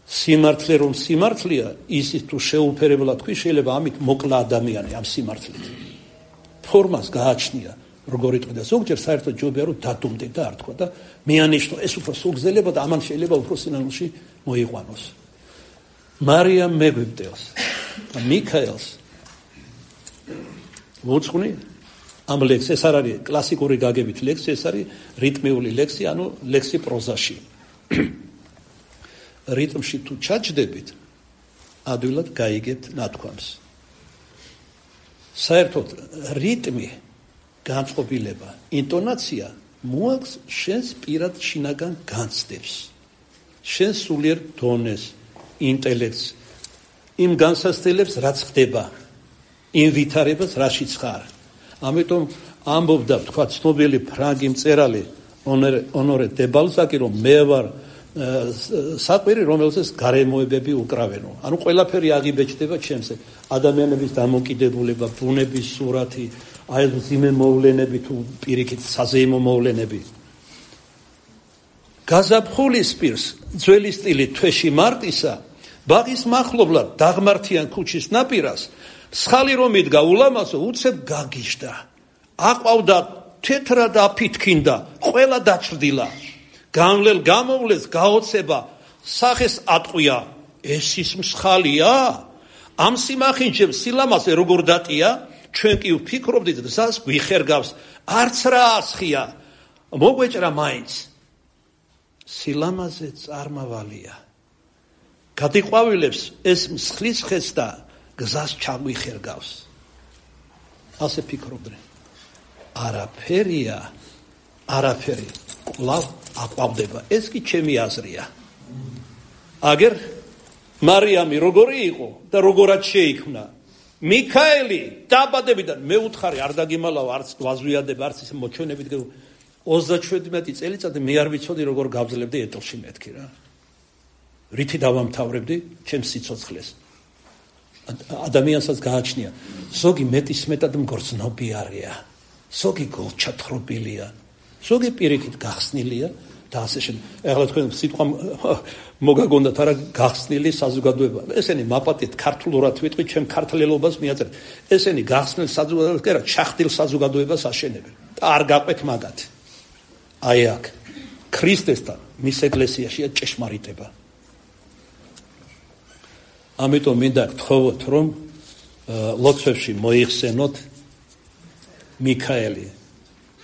A: სიმართლე რომ სიმართლეა, ისიც თუ შეუფერებლად თქვი, შეიძლება ამით მოკლა ადამიანი ამ სიმართლით. ფორმას გააჩნია, როგორ იტყვი და ზოგჯერ საერთოდ ჯობია რომ დადუმდე და არ თქვა და მეანიშნო ეს უფრო სულგზელება და ამან შეიძლება უფრო სინანულში მოიყვანოს. მარიამ მეგვიბდელს და მიქაელს მოწყვნი ამ ლექსი, ეს არ არის კლასიკური გაგებით ლექსი, ეს არის რიტმიული ლექსი, ანუ ლექსი პროზაში. რიტმში თუ ჩაჯდებით, ადვილად გაიგებთ ნათქვამს. საერთოდ რიტმი, განწყობილება, ინტონაცია მოაქვს შენს პირად შინაგან განცდებს, შენს სულიერ დონეს, ინტელექტს, იმ განსაცდელებს, რაც ხდება, იმ ვითარებას, რაშიც ხარ. ამიტომ ამბობდა, თქვა, ცნობილი ფრანგი მწერალი ონორე დე ბალზაკი, რომ მე ვარ საყვირი, რომელსაც გარემოებები უკრავენო. ანუ ყველაფერი აღიბეჭდება ჩემზე. ადამიანების დამოკიდებულება, ბუნების სურათი, აი მძიმე მოვლენები თუ პირიქით საზეიმო მოვლენები. გაზაფხულის პირს, ძველი სტილით თვეში მარტისა, ბაღის მახლობლად დაღმართიან ქუჩის ნაპირას, მსხალი რომ იდგა ულამაზო, უცებ გაგიჟდა. აყვავდა თეთრა და აფითქინდა, ყველა დაჭრდილა. განვლელ გამოვლეს გაოცება, სახეს ატყვია, ეს ის მსხალია? ამ სიმახინჯებს სილამაზე როგორ დატია? ჩვენ კი ვფიქრობდით, გზას გვიხერგავს, არც რა ასხია, მოგვეჭრა მაინც. სილამაზე წარმავალია. გადიყვავილებს ეს მსხლის ხეს და გზას ჩაგვიხერგავს. ასე ფიქრობდნენ. არაფერია, არაფერი კვლავ აყვავდება. ეს კი ჩემი აზრია. აგერ მარიამი როგორი იყო და როგორად შეიქმნა? მიქაელი დაბადებიდან მე უთხარი არ დაგიმალავ, არც ვაზვიადებ, არც ისე მოჩვენებით ოცდაშვიდმეტი წელიწადი მე არ ვიცოდი როგორ გავძლებდი ეტლში მეთქი რა. რითი დავამთავრებდი ჩემს სიცოცხლეს. ადამიანსაც გააჩნია, ზოგი მეტისმეტად მგრძნობი არია, ზოგი გულჩათხრობილია, ზოგი პირიქით გახსნილია და ასე შემდეგ. ეხლა თქვენ სიტყვა მოგაგონდათ არა გახსნილი საზოგადოება. ესენი მაპატით ქართულურად ვიტყვი, ჩემ ქართლელობას მიაწერეთ. ესენი გახსნილ საზოგადოებას კი არა, ჩახდილ საზოგადოებას აშენებენ. და არ გაყვეთ მაგათ. აი აქ ქრისტესთან მის ეკლესიაშია ჭეშმარიტება. ამიტომ მინდა გთხოვოთ, რომ ლოცვებში მოიხსენოთ მიქაელი.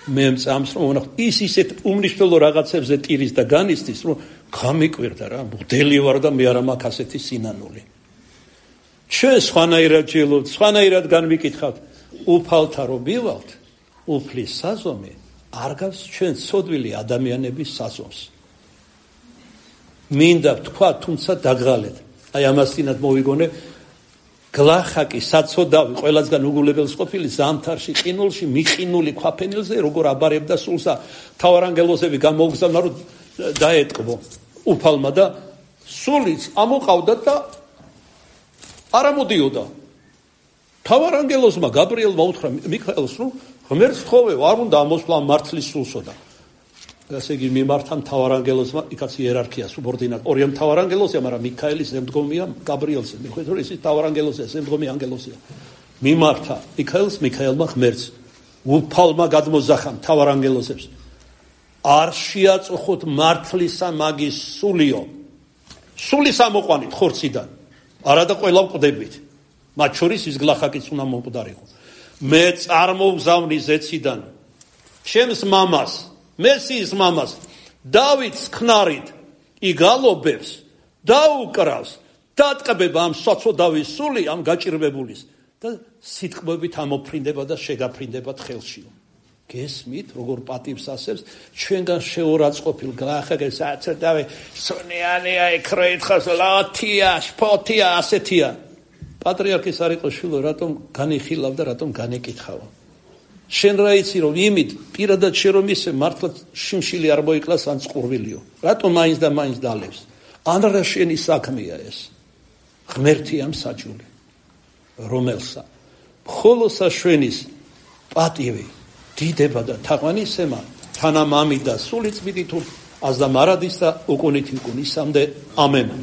A: მე მწამს რომ ვნახოთ ის ისეთ უმნიშვნელო რაღაცებზე ტირის და განიცდის, რომ გამიკვირდა რა, მგდელი ვარ და მე არ მაქვს ასეთი სინანული. ჩვენ სხვანაირად ჯელობთ, სხვანაირად განვიკითხავთ, უფალთა რო მივალთ, უფლის საზომი არ გავს ჩვენ ცოდვილი ადამიანების საზომს. მინდა თქვა, თუმცა დაგღალეთ. აი ამასთანავე მოვიგონე გლახაკი საცოდავი ყველასგან უგულებელს ყოფილი ზამთარში ყინულში მიყინული ქვაფენილზე როგორ აბარებდა სულსა თავარანგელოზები გამოუგზავნა რომ დაეტკბო უფალმა და სულიც ამოყავდა და არ ამოდიოდა თავარანგელოსმა გაბრიელმა უთხრა მიქაელს, რომ ღმერთს თხოვე, არ უნდა ამოსვლა მართლის სულსო და ასე იგი მიმართა მთავარანგელოსმა, იქაც იერარქია, სუბორდინატ. ორი მთავარანგელოსია, მაგრამ მიქაელის ზემდგომია გაბრიელზე. მიხვდეთ, რომ ის მთავარანგელოსია, ზემდგომი ანგელოსია. მიმართა მიქაელს, მიქაელმა ღმერთს უფალმა გადმოზახა მთავარანგელოსებს. არ შეაწუხოთ მართლისა მაგის სულიო. სულის ამოყვანით ხორციდან. არა და ყველა მკვდებით. მათ შორის ის გლახაკიც უნდა მომკვდარიყო. მე წარმოვგზავნი ზეციდან ჩემს მამას, მესიის მამას, დავითს ხნარით იგალობებს, დაუკრავს, დატყბება ამ საწოდავის სული ამ გაჭირვებულის და სიტყვებით ამოფრინდება და შეგაფრინდება ხელშიო. გესმით, როგორ პატივს ასებს, ჩვენგან შეურაცხყოფილ გლახაკებს აცოდავე, სონიანია ეკროითხავს, ლათია, შფოთია, ასეთია. პატრიარქის არ იყო შვილო, რატომ განიხილავ და რატომ განეკითხავა. შენ რა იცი, რომ იმით პირადად შენ რომ ისე მართლა შიმშილი არ მოიკლას ან წყურვილიო. რატომ მაინც და მაინც დალევს? ან რა შენი საქმეა ეს? ღმერთი ამ საჯული, რომელსა მხოლოდ საშვენის პატივი დიდება და თაყვანისემა თანამამი და სული წმინდი თუ აზდა მარადის და უკუნით უკუნისამდე ამენ.